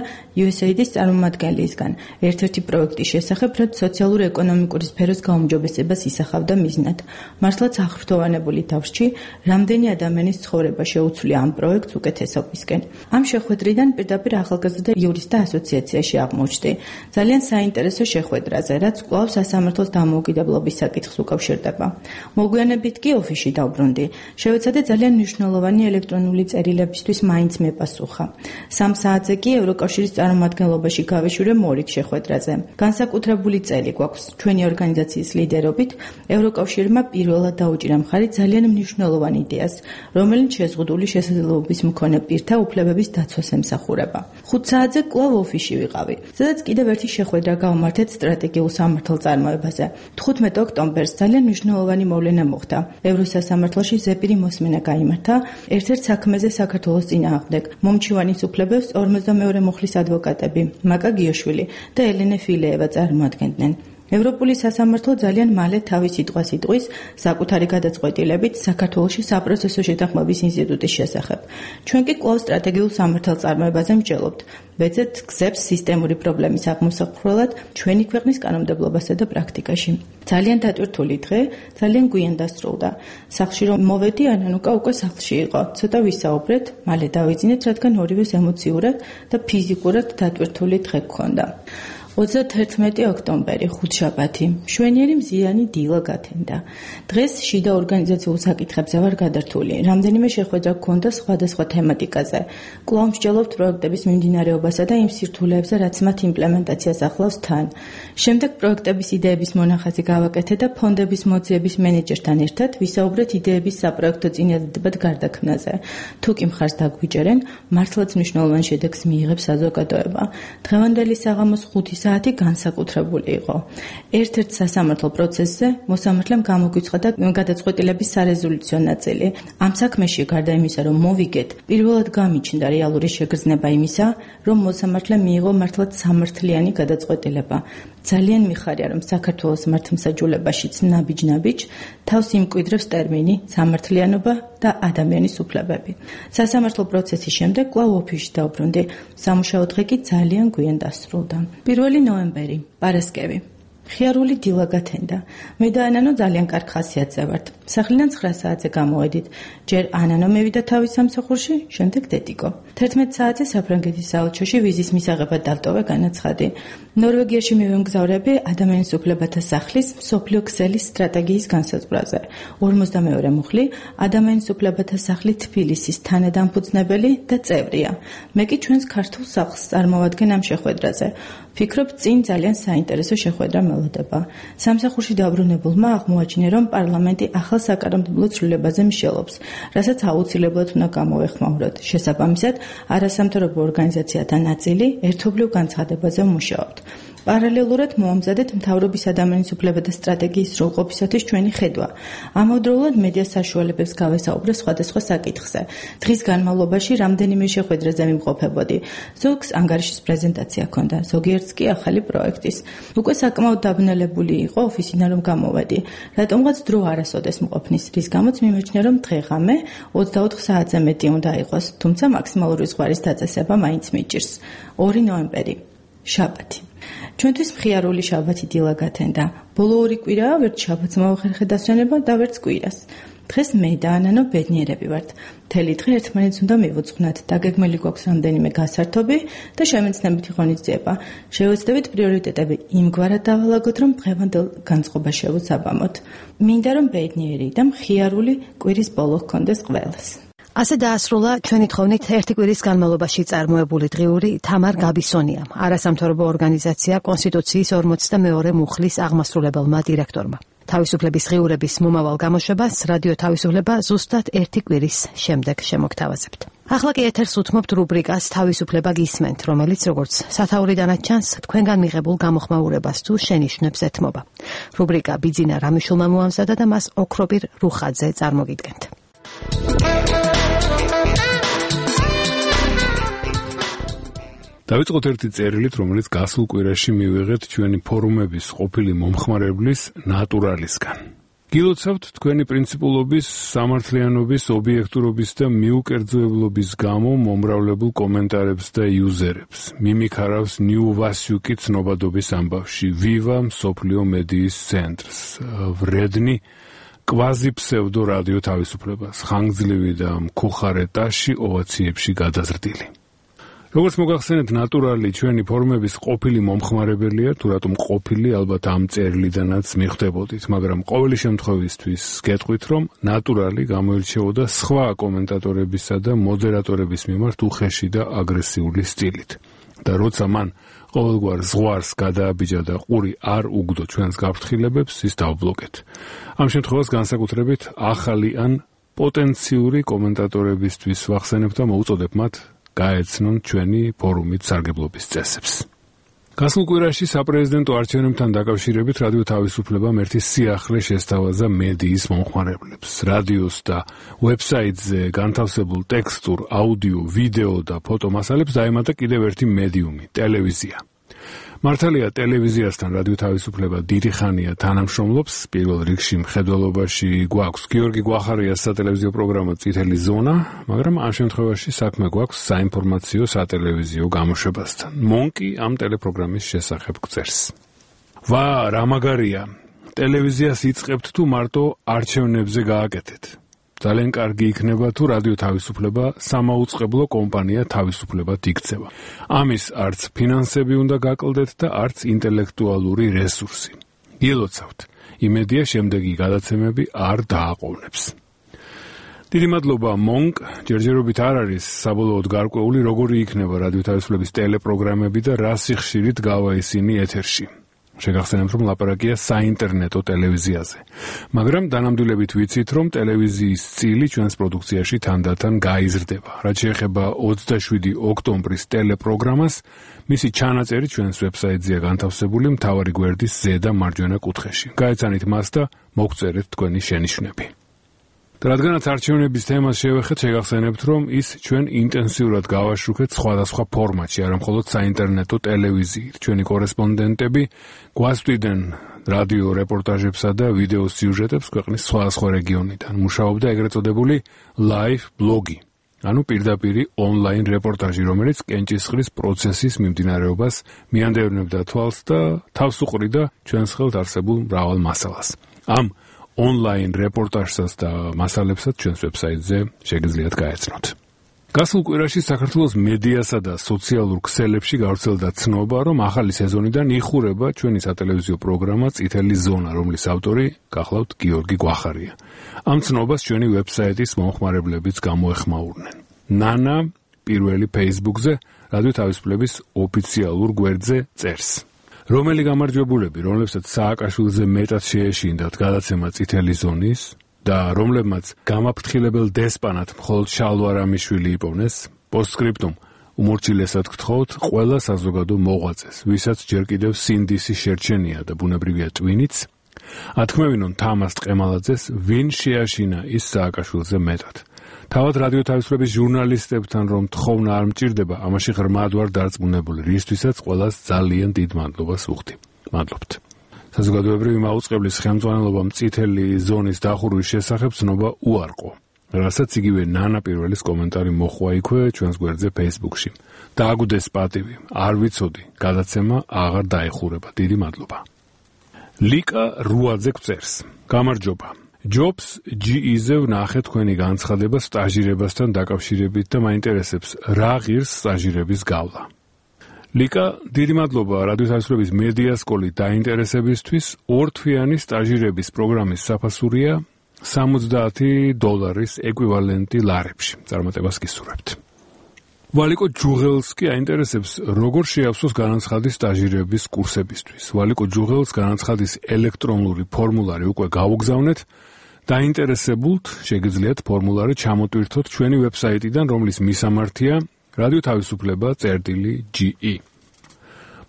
USAID-ის წარმომადგენლისგან. ერთ-ერთი პროექტის შესახებ, რაც სოციალურ-ეკონომიკური სფეროს გაუმჯობესებას ისახავდა მიზნად. მართლაც ახრთოვანებული თავში, რამდენი ადამიანის ცხოვრება შეუცვლია ამ პროექტს უკეთესობისკენ. ამ შეხვედრიდან პირდაპირ ახალგაზრდა იურისტთა ასოციაციაში აღმოჩნდი. ძალიან საინტერესო შეხვედრაზე, რაც კვლავ სასამართლოს დამოუკიდებლობის საკითხს უკავშირდება. მოგვიანებით კი ოფისში დავბრუნდი. შევეცადე ძალიან მნიშვნელოვანი ელექტრონული წერილებისთვის მაინც მეპასუხა. 3 საათზე კი ევროკავშირის წარმომადგენლობაში გავეშურე მორიგ შეხვედრაზე. განსაკუთრებული წელი გვაქვს ჩვენი ორგანიზაციის ლიდერობით. ევროკავშირმა პირველად დაუჭირა მხარი ძალიან მნიშვნელოვან იდეას, რომელიც შეზღუდული შესაძლებლობის მქონე პირთა უფლებების დაცვას ემსახურება. 5 საათზე კვლავ ოფისში ვიყავი, სადაც კიდევ ერთი შეხვედრა გავმართეთ სტრატეგიულ სამართალწარმოებაზე. 15 ოქტომბერს ძალიან მნიშვნელოვანი მოვლენა მოხდა. ევროსასამართლოში ზეპირი მოსმენა გაიმართა ერთ-ერთ საქმეზე საქართველოს წინააღმდეგ. მომჩივანის უფლებებს 42 მუხლის ადვოკატები მაკა გიოშვილი და ელენე ფილეევა წარმოადგენდნენ. ევროპული სასამართლო ძალიან მალე თავის სიტყვას იტყვის საკუთარი გადაწყვეტილებით საქართველოში საპროცესო შეთანხმების ინსტიტუტის შესახებ. ჩვენ კი კვლავ სტრატეგიულ სამართალწარმოებაზე მსჯელობთ. ვეძებთ გზებს სისტემური პრობლემის აღმოსაყრელად ჩვენი ქვეყნის კანონმდებლობასა და პრაქტიკაში. ძალიან დატვირთული დღე, ძალიან გვიან დასრულდა. სახლში რომ მოვედი, ანანუკა უკვე სახლში იყო. ცოტა ვისაუბრეთ, მალე დავიძინეთ, რადგან ორივეს ემოციურად და ფიზიკურად დატვირთული დღე გქონდა. 31 ოქტომბერი, ხუთშაბათი. მშვენიერი მზიანი დილა გათენდა. დღეს შიდა ორგანიზაციულ საკითხებზე ვარ გადართული. რამდენიმე შეხვედრა გქონდა სხვადასხვა თემატიკაზე. კვლავ მსჯელობთ პროექტების მიმდინარეობასა და იმ სირთულეებზე, რაც მათ იმპლემენტაციას ახლავს თან. შემდეგ პროექტების იდეების მონახაზი გავაკეთე და ფონდების მოძიების მენეჯერთან ერთად ვისაუბრეთ იდეების საპროექტო წინადადებად გარდაქმნაზე. თუ კი მხარს დაგვიჭერენ, მართლაც მნიშვნელოვან შედეგს მიიღებს საზოგადოება. დღევანდელი საღამოს 5 საათი განსაკუთრებული იყო. ერთ-ერთ სასამართლო პროცესზე მოსამართლემ გამოგვიცხადა გადაწყვეტილების სარეზოლუციო ნაწილი. ამ საქმეში გარდა იმისა, რომ მოვიგეთ, პირველად გამიჩნდა რეალური შეგრძნება იმისა, რომ მოსამართლემ მიიღო მართლაც სამართლიანი გადაწყვეტილება. ძალიან მიხარია, რომ საქართველოს მართლმსაჯულებაშიც ნაბიჯ-ნაბიჯ თავს იმკვიდრებს ტერმინი სამართლიანობა და ადამიანის უფლებები. სასამართლო პროცესის შემდეგ კვლავ ოფისში დავბრუნდი. სამუშაო დღე კი ძალიან გვიან დასრულდა. 1 ნოემბერი, პარასკევი. ხიარული დილა გათენდა. მე და ანანო ძალიან კარგ ხასიათზე ვართ. სახლიდან 9 საათზე გამოვედით. ჯერ ანანო მევიდა თავის სამსახურში, შემდეგ დედიკო. 11 საათზე საფრანგეთის საელჩოში ვიზის მისაღებად დავტოვე განაცხადი. ნორვეგიაში მივემგზავრები ადამიანის უფლებათა სახლის მსოფლიო ქსელის სტრატეგიის განსაზღვრაზე. 42 მუხლი ადამიანის უფლებათა სახლი თბილისის თანადამფუძნებელი და წევრია. მე კი ჩვენს ქართულ სახლს წარმოვადგენ ამ შეხვედრაზე. ფიქრობ, წინ ძალიან საინტერესო შეხვედრა მელოდება. სამსახურში დაბრუნებულმა აღმოაჩინე, რომ პარლამენტი ახალ საკანონმდებლო ცვლილებაზე მსჯელობს, რასაც აუცილებლად უნდა გამოვეხმაუროთ. შესაბამისად, არასამთავრობო ორგანიზაციათა ნაწილი ერთობლივ განცხადებაზე ვმუშაობთ. პარალელურად მოამზადეთ მთავრობის ადამიანის უფლებათა სტრატეგიის სრულყოფისათვის ჩვენი ხედვა. ამავდროულად მედია საშუალებებს გავესაუბრე სხვადასხვა საკითხზე. დღის განმავლობაში რამდენიმე შეხვედრაზე ვიმყოფებოდი. ზოგს ანგარიშის პრეზენტაცია ჰქონდა, ზოგიერთს კი ახალი პროექტის. უკვე საკმაოდ დაბნელებული იყო ოფისიდან რომ გამოვედი. რატომღაც დრო არასოდეს მყოფნის, რის გამოც მიმაჩნია, რომ დღე-ღამე 24 საათზე მეტი უნდა იყოს, თუმცა მაქსიმალური ზღვარის დაწესება მაინც მიჭირს. 2 ნოემბერი, შაბათი. ჩვენთვის მხიარული შაბათი დილა გათენდა. ბოლო 2 კვირაა ვერც შაბათს მოვახერხე დასვენება და ვერც კვირას. დღეს მე და ანანო ბედნიერები ვართ. მთელი დღე ერთმანეთს უნდა მივუძღვნათ. დაგეგმილი გვაქვს რამდენიმე გასართობი და შემეცნებითი ღონისძიება. შევეცდებით პრიორიტეტები იმგვარად დავალაგოთ, რომ დღევანდელ განწყობას შევუსაბამოთ. მინდა რომ ბედნიერი და მხიარული კვირის ბოლო ჰქონდეს ყველას. ასე დაასრულა ჩვენი თხოვნით ერთი კვირის განმავლობაში წარმოებული დღიური თამარ გაბისონიამ, არასამთავრობო ორგანიზაცია კონსტიტუციის 42 მუხლის აღმასრულებელმა დირექტორმა. თავისუფლების ღიურების მომავალ გამოშვებას რადიო თავისუფლება ზუსტად ერთი კვირის შემდეგ შემოგთავაზებთ. ახლა კი ეთერს უთმობთ რუბრიკას თავისუფლება გისმენთ, რომელიც როგორც სათაურიდანაც ჩანს, თქვენგან მიღებულ გამოხმაურებას თუ შენიშვნებს ეთმობა. რუბრიკა ბიძინა რამიშულმა მოამზადა და მას ოქრობირ რუხაძე წარმოგიდგენთ. დავიწყოთ ერთი წერილით, რომელიც გასულ კვირაში მივიღეთ ჩვენი ფორუმების ყოფილი მომხმარებლის ნატურალისგან. გილოცავთ თქვენი პრინციპულობის, სამართლიანობის, ობიექტურობის და მიუკერძოებლობის გამო მომრავლებულ კომენტარებს და იუზერებს. მიმიქარავს ნიუ ვასიუკი ცნობადობის ამბავში, ვივა მსოფლიო მედიის ცენტრს, ვრედნი კვაზი ფსევდო რადიო თავისუფლებას, ხანგრძლივი და მქუხარეტაში ოვაციებში გადაზრდილი. როგორც მოგახსენებთ, ნატურალი ჩვენი ფორუმების ყოფილი მომხმარებელია, თუ რატომ ყოფილი, ალბათ ამ წერილიდანაც მიხვდებოდით, მაგრამ ყოველი შემთხვევისთვის გეტყვით, რომ ნატურალი გამოირჩეოდა სხვა კომენტატორებისა და მოდერატორების მიმართ უხეში და აგრესიული სტილით. და როცა მან ყოველგვარ ზღვარს გადააბიჯა და ყური არ უგდო ჩვენს გაფრთხილებებს, ის დავბლოკეთ. ამ შემთხვევას განსაკუთრებით ახალი ან პოტენციური კომენტატორებისთვის ვახსენებ და მოუწოდებ მათ გაეცნონ ჩვენი ფორუმით სარგებლობის წესებს. გასულ კვირაში საპრეზიდენტო არჩევნებთან დაკავშირებით რადიო თავისუფლებამ ერთი სიახლე შესთავაზა მედიის მომხმარებლებს. რადიოს და ვებსაიტზე განთავსებულ ტექსტურ, აუდიო, ვიდეო და ფოტო მასალებს დაემატა კიდევ ერთი მედიუმი, ტელევიზია. მართალია, ტელევიზიასთან რადიო თავისუფლება დიდი ხანია თანამშრომლობს. პირველ რიგში მხედველობაში გვაქვს გიორგი გვახარიას სატელევიზიო პროგრამა წითელი ზონა, მაგრამ ამ შემთხვევაში საქმე გვაქვს საინფორმაციო სატელევიზიო გამოშვებასთან. მონკი ამ ტელეპროგრამის შესახებ გწერს. ვა, რა მაგარია! ტელევიზიას იწყებთ თუ მარტო არჩევნებზე გააკეთეთ. ძალიან კარგი იქნება თუ რადიო თავისუფლება სამაუწყებლო კომპანია თავისუფლებად იქცევა. ამის არც ფინანსები უნდა გაკლდეთ და არც ინტელექტუალური რესურსი. გილოცავთ, იმედია შემდეგი გადაცემები არ დააყოვნებს. დიდი მადლობა მონკ, ჯერჯერობით არ არის საბოლოოდ გარკვეული როგორი იქნება რადიო თავისუფლების ტელეპროგრამები და რა სიხშირით გავა ისინი ეთერში. შეგახსენებთ, რომ ლაპარაკია საინტერნეტო ტელევიზიაზე. მაგრამ დანამდვილებით ვიცით, რომ ტელევიზიის წილი ჩვენს პროდუქციაში თანდათან გაიზრდება. რაც შეეხება 27 ოქტომბრის ტელეპროგრამას, მისი ჩანაწერი ჩვენს ვებსაიტზეა განთავსებული მთავარი გვერდის ზედა მარჯვენა კუთხეში. გაეცანით მას და მოგწერეთ თქვენი შენიშვნები. რადგანაც არჩევნების თემას შევეხეთ, შეგახსენებთ, რომ ის ჩვენ ინტენსიურად გავაშუქეთ სხვადასხვა ფორმატში, არა მხოლოდ საინტერნეტო ტელევიზიით. ჩვენი კორესპონდენტები გვასწვდიდნენ რადიო რეპორტაჟებსა და ვიდეო სიუჟეტებს ქვეყნის სხვადასხვა რეგიონიდან. მუშაობდა ეგრეთ წოდებული live blog-ი, ანუ პირდაპირი ონლაინ რეპორტაჟი, რომელიც კენჭისყრის პროცესის მიმდინარეობას მიანდევნებდა თვალს და თავს უყრიდა ჩვენს ხელთ არსებულ მრავალ მასალას. ამ ონლაინ რეპორტაჟსაც და მასალებსაც ჩვენს ვებსაიტზე შეგიძლიათ გაეცნოთ. გასულ კვირაში საქართველოს მედიასა და სოციალურ ქსელებში გავრცელდა ცნობა, რომ ახალი სეზონიდან იხურება ჩვენი სატელევიზიო პროგრამა წითელი ზონა, რომლის ავტორი გახლავთ გიორგი გვახარია. ამ ცნობას ჩვენი ვებსაიტის მომხმარებლებიც გამოეხმაურნენ. ნანა პირველი Facebook-ზე რადიო თავისუფლების ოფიციალურ გვერდზე წერს. რომელი გამარჯვებულები, რომლებსაც სააკაშვილზე მეტად შეეშინდათ გადაცემა წითელი ზონის და რომლებმაც გამაფრთხილებელ დესპანად მხოლოდ შალვა რამიშვილი იპოვნეს, პოსტსკრიპტუმ უმორჩილესად გთხოვთ ყველა საზოგადო მოღვაწეს, ვისაც ჯერ კიდევ სინდისი შერჩენია და ბუნებრივია ტვინიც, ათქმევინონ თამას ტყემალაძეს, ვინ შეაშინა ის სააკაშვილზე მეტად. თავად რადიო თავისუფლების ჟურნალისტებთან რომ თხოვნა არ მჭირდება, ამაში ღრმად ვარ დარწმუნებული, რისთვისაც ყველას ძალიან დიდ მადლობას ვუხდი. მადლობთ. საზოგადოებრივი მაუწყებლის ხელმძღვანელობამ წითელი ზონის დახურვის შესახებ ცნობა უარყო, რასაც იგივე ნანა პირველის კომენტარი მოხვა იქვე ჩვენს გვერდზე Facebook-ში. დააგუდეს პატივი, არ ვიცოდი, გადაცემა აღარ დაეხურება. დიდი მადლობა. ლიკა რუაძე გვწერს. გამარჯობა. ჯობს GE-ზე ვნახე თქვენი განცხადება სტაჟირებასთან დაკავშირებით და მაინტერესებს რა ღირს სტაჟირების გავლა. ლიკა, დიდი მადლობა რადიო თავისუფლების მედია სკოლის დაინტერესებისთვის. ორთვიანი სტაჟირების პროგრამის საფასურია $70 ეკვივალენტი ლარებში. წარმატებას გისურვებთ. ვალიკო ჯუღელს კი აინტერესებს როგორ შეავსოს განაცხადი სტაჟირების კურსებისთვის. ვალიკო ჯუღელს განაცხადის ელექტრონული ფორმულარი უკვე გავუგზავნეთ. დაინტერესებულთ შეგიძლიათ ფორმულარი ჩამოტვირთოთ ჩვენი ვებსაიტიდან, რომლის მისამართია რადიო თავისუფლება წერტილი.ge.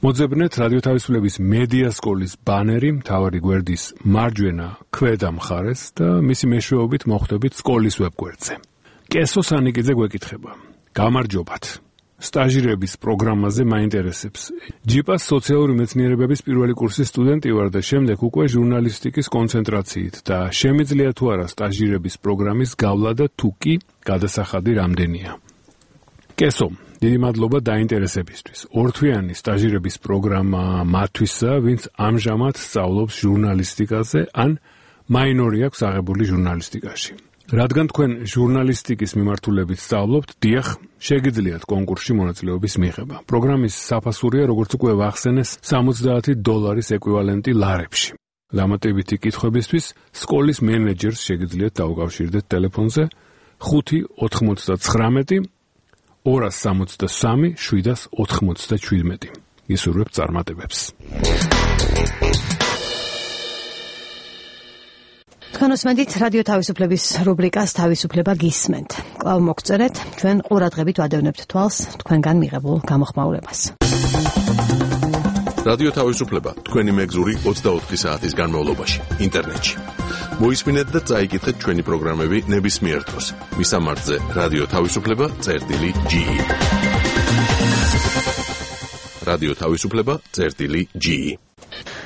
მოძებნეთ რადიო თავისუფლების მედია სკოლის ბანერი მთავარი გვერდის მარჯვენა ქვედა მხარეს და მისი მეშვეობით მოხვდებით სკოლის ვებგვერდზე. კესო სანიკიძე გვეკითხება. გამარჯობათ. სტაჟირების პროგრამაზე მაინტერესებს. ჯიპას სოციალური მეცნიერებების პირველი კურსის სტუდენტი ვარ და შემდეგ უკვე ჟურნალისტიკის კონცენტრაციით და შემიძლია თუ არა სტაჟირების პროგრამის გავლა და თუ კი გადასახადი რამდენია. კესო, დიდი მადლობა დაინტერესებისთვის. ორთვიანი სტაჟირების პროგრამა მათთვისა, ვინც ამჟამად სწავლობს ჟურნალისტიკაზე ან მაინორი აქვს აღებული ჟურნალისტიკაში. რადგან თქვენ ჟურნალისტიკის მიმართულებით სწავლობთ, დიახ, შეგიძლიათ კონკურსში მონაწილეობის მიღება. პროგრამის საფასურია, როგორც უკვე ვახსენეს, $70 ეკვივალენტი ლარებში. დამატებითი კითხვებისთვის სკოლის მენეჯერს შეგიძლიათ დაუკავშირდეთ ტელეფონზე 599 263 797. გისურვებთ წარმატებებს. თქვენოსმენთ რადიო თავისუფლების რუბრიკას თავისუფლება გისმენთ. კვლავ მოგწერეთ, ჩვენ ყურადღებით ვადევნებთ თვალს თქვენგან მიღებულ გამოხმაურებას. რადიო თავისუფლება თქვენი მეგზური 24 საათის განმავლობაში ინტერნეტში. მოისმინეთ და წაიკითხეთ ჩვენი პროგრამები ნებისმიერ დროს. მისამართზე რადიო თავისუფლება.ge. რადიო თავისუფლება.ge.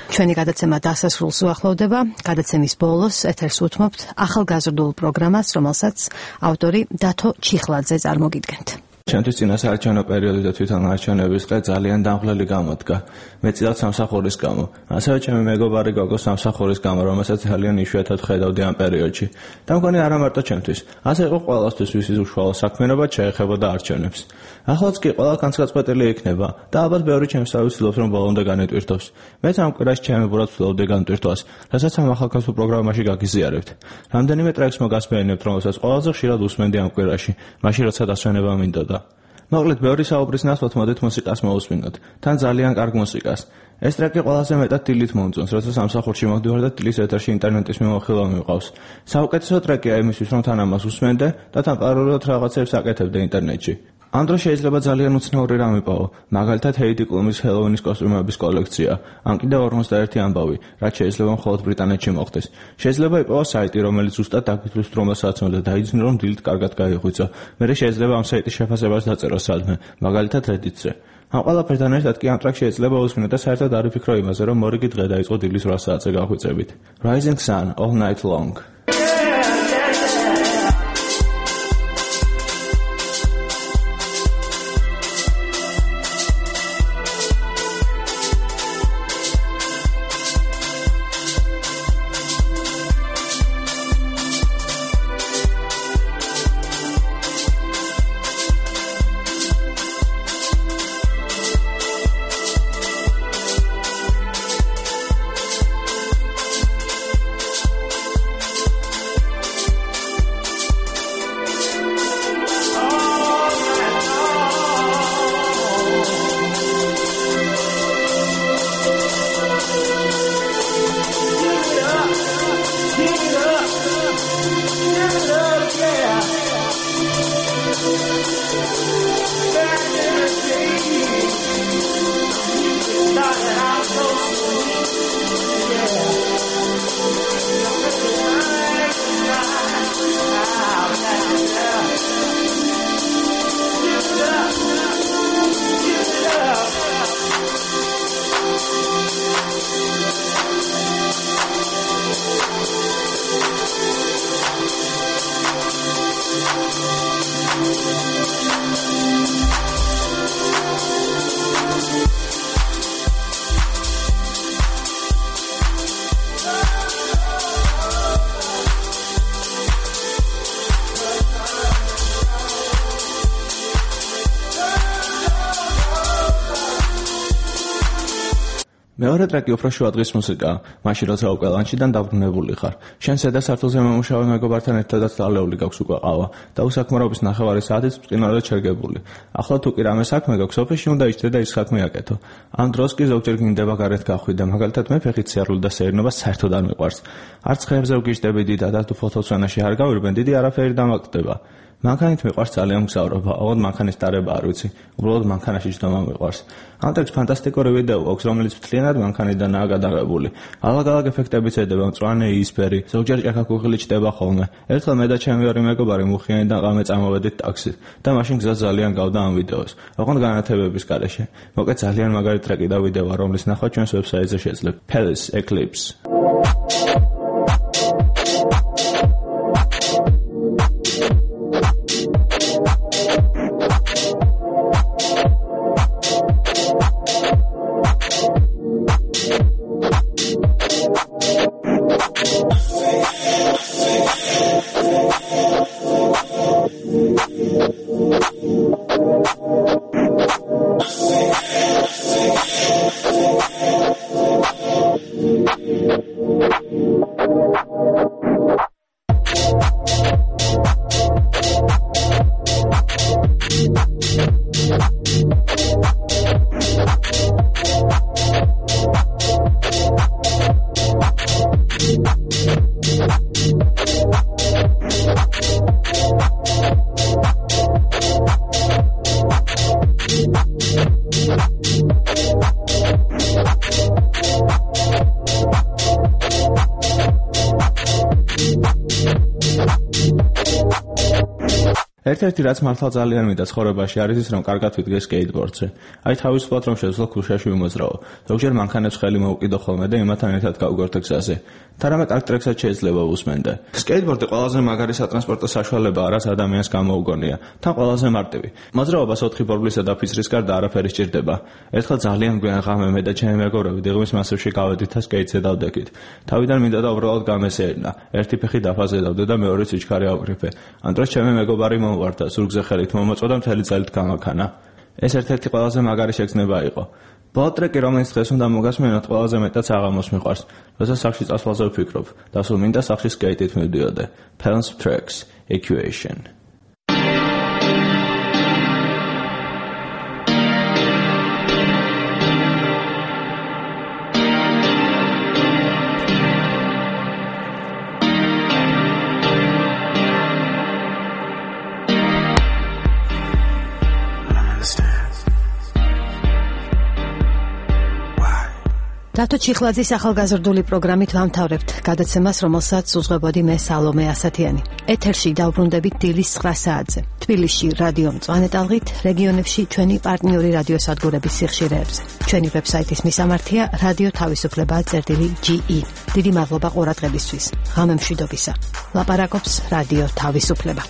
ჩვენი გადაცემა დასასრულს უახლოვდება. გადაცემის ბოლოს ეთერს უთმობთ ახალგაზრდულ პროგრამას, რომელსაც ავტორი დათო ჩიხლაძე წარმოგიდგენთ. ჩემთვის წინასაარჩევნო პერიოდი და თვითონ არჩევნების დღე ძალიან დამღლელი გამოდგა. მეწილად სამსახურის გამო. ასევე ჩემი მეგობარი გოგო სამსახურის გამო, რომელსაც ძალიან იშვიათად ხედავდი ამ პერიოდში. და მგონი არა მარტო ჩემთვის, ასე იყო ყველასთვის, ვისის უშუალო საქმიანობად შეეხებოდა არჩევნებს. ახლაც კი ყველა განსაკუთრებული იქნება და ალბათ ბევრი ჩემსავე ვცდილობს რომ ბოლომდე განეტვირთოს. მეც ამ კვირაში ჩემებურად ვცდილობდი განტვირთვას, რასაც ამ ახალგაზრდა პროგრამაში გაგიზიარებთ. რამდენიმე ტრეკს მოგასმენებთ, რომელსაც ყველაზე ხშირად უსმენდი ამ კვირაში, მაშინ როცა დასვენება მინდოდა. მოკლედ, ბევრი საუბრის ნაცვლად მოდით მუსიკას მოусმინოთ. თან ძალიან კარგ მუსიკას. ეს ტრეკი ყველაზე მეტად დილით მომწონს, როცა სამსახურში მოვდივარ და დილის ეთერში ინტერნეტის მიმოხილვა მივყავს. საუკეთესო ტრეკია იმისთვის, რომ თან ამას უსმენდე და თან პარალელურად რაღაცებს აკეთებდე ინტერნეტში. ამ დროს შეიძლება ძალიან უცნაური რამ იპოვო, მაგალითად ჰეიდი კლუმის ჰელოუინის კოსტუმების კოლექცია, ან კიდევ 51 ამბავი, რაც შეიძლება მხოლოდ ბრიტანეთში მოხდეს. შეიძლება იპოვო საიტი, რომელიც ზუსტად დაგითვლის დრომასაც და დაიძინო რომ დილით კარგად გაიღვიძო. მერე შეიძლება ამ საიტის შეფასებას დაწერო სადმე, მაგალითად Reddit-ზე. ამ ყველაფერთან ერთად კი ამ ტრეკს შეიძლება უსმინო და საერთოდ არ ვიფიქრო იმაზე, რომ მორიგი დღე დაიწყო დილის 8 საათზე გახვიწებით. Rising Sun All Night Long. მეორე ტრეკი უფრო შუა დღის მუსიკაა, მაშინ როცა უკვე ლანჩიდან დაბრუნებული ხარ. შენ ზედა სართულზე მომუშავე მეგობართან ერთადაც დალეული გაქვს უკვე ყავა და უსაქმრობის ნახევარი საათით მწყინვალედ შეგებული. ახლა თუ კი რამე საქმე გაქვს, ოფისში უნდა იჭრე და ის საქმე აკეთო. ამ დროს კი ზოგჯერ გინდება გარეთ გახვიდე, მაგალითად მე ფეხით სიარული და სეირნობა საერთოდ არ მიყვარს. არც ხეებზე ვგიჟდები დიდად და თუ ფოტოსვენაში არ გავირბენ, დიდი არაფერი დამაგდება. მანქანით მიყვარს ძალიან მგზავრობა, ოღონდ მანქანის დარება არ ვიცი. უბრალოდ მანქანაში ჯდომა მიყვარს. ამ ტრეკს ფანტასტიკური ვიდეო აქვს, რომელიც მთლიანად მანქანიდანაა გადაღებული. ალაგ-ალაგ ეფექტებიც ედება, მწვანე იისფერი, ზოგჯერ ჭაქაქუხილი ჩდება ხოლმე. ერთხელ მე და ჩემი ორი მეგობარი მუხიანიდან ღამე წამოვედით ტაქსით და მაშინ გზა ძალიან გავდა ამ ვიდეოს. ოღონდ განათებების გარეშე. მოკლედ ძალიან მაგარი ტრეკი და ვიდეოა, რომლის ნახვა ჩვენს ვებსაიტზე შეძლებთ. Palace Eclipse. ერთ-ერთი რაც მართლა ძალიან მინდა ცხოვრებაში არის ის, რომ კარგად ვიდგე სკეიტბორდზე. აი თავისუფლად რომ შეძლო ქუჩაში ვიმოძრაო. ზოგჯერ მანქანებს ხელი მოვუკიდო ხოლმე და იმათთან ერთად გავგორდე გზაზე. თარამე კარგ ტრეკსაც შეიძლება უსმენდე. სკეიტბორდი ყველაზე მაგარი სატრანსპორტო საშუალებაა, რაც ადამიანს გამოუგონია. თან ყველაზე მარტივი. მოძრაობას 4 ბორბლისა და ფიცრის გარდა არაფერი სჭირდება. ერთხელ ძალიან გვიანღამე მე და ჩემი მეგობრები დიღმის მასივში გავედით და სკეიტზე დავდექით. თავიდან მინდა და უბრალოდ გამესეირნა. ერთი ფეხი დაფაზე დავდე და მეორე სიჩქარე ავგრიფე. ამ დროს ჩემი მეგობარი მომვარდა, ზურგზე ხელით მომოწვა და მთელი წელით გამაქანა. ეს ერთ-ერთი ყველაზე მაგარი შეგრძნება იყო. ბოლტრეკი, რომელიც დღეს უნდა მოგასმენოთ, ყველაზე მეტად საღამოს მიყვარს. როდესაც სახში წასვლაზე ვფიქრობ, და სულ მინდა სახში სკეიტით მივდიოდე. Palms Tracks, Equation. რატო ჩიხლაძის ახალგაზრდული პროგრამით ვამთავრებთ გადაცემას, რომელსაც უძღვებოდი მე სალომე ასათიანი. ეთერში დავბრუნდებით დილის 9 საათზე. თბილისში რადიო მწვანე ტალღით, რეგიონებში ჩვენი პარტნიორი რადიოსადგურების სიხშირეებზე. ჩვენი ვებსაიტის მისამართია radio-tavisupleba.ge. დიდი მადლობა ყურადღებისთვის. ღამე მშვიდობისა. ლაპარაკობს რადიო თავისუფლება.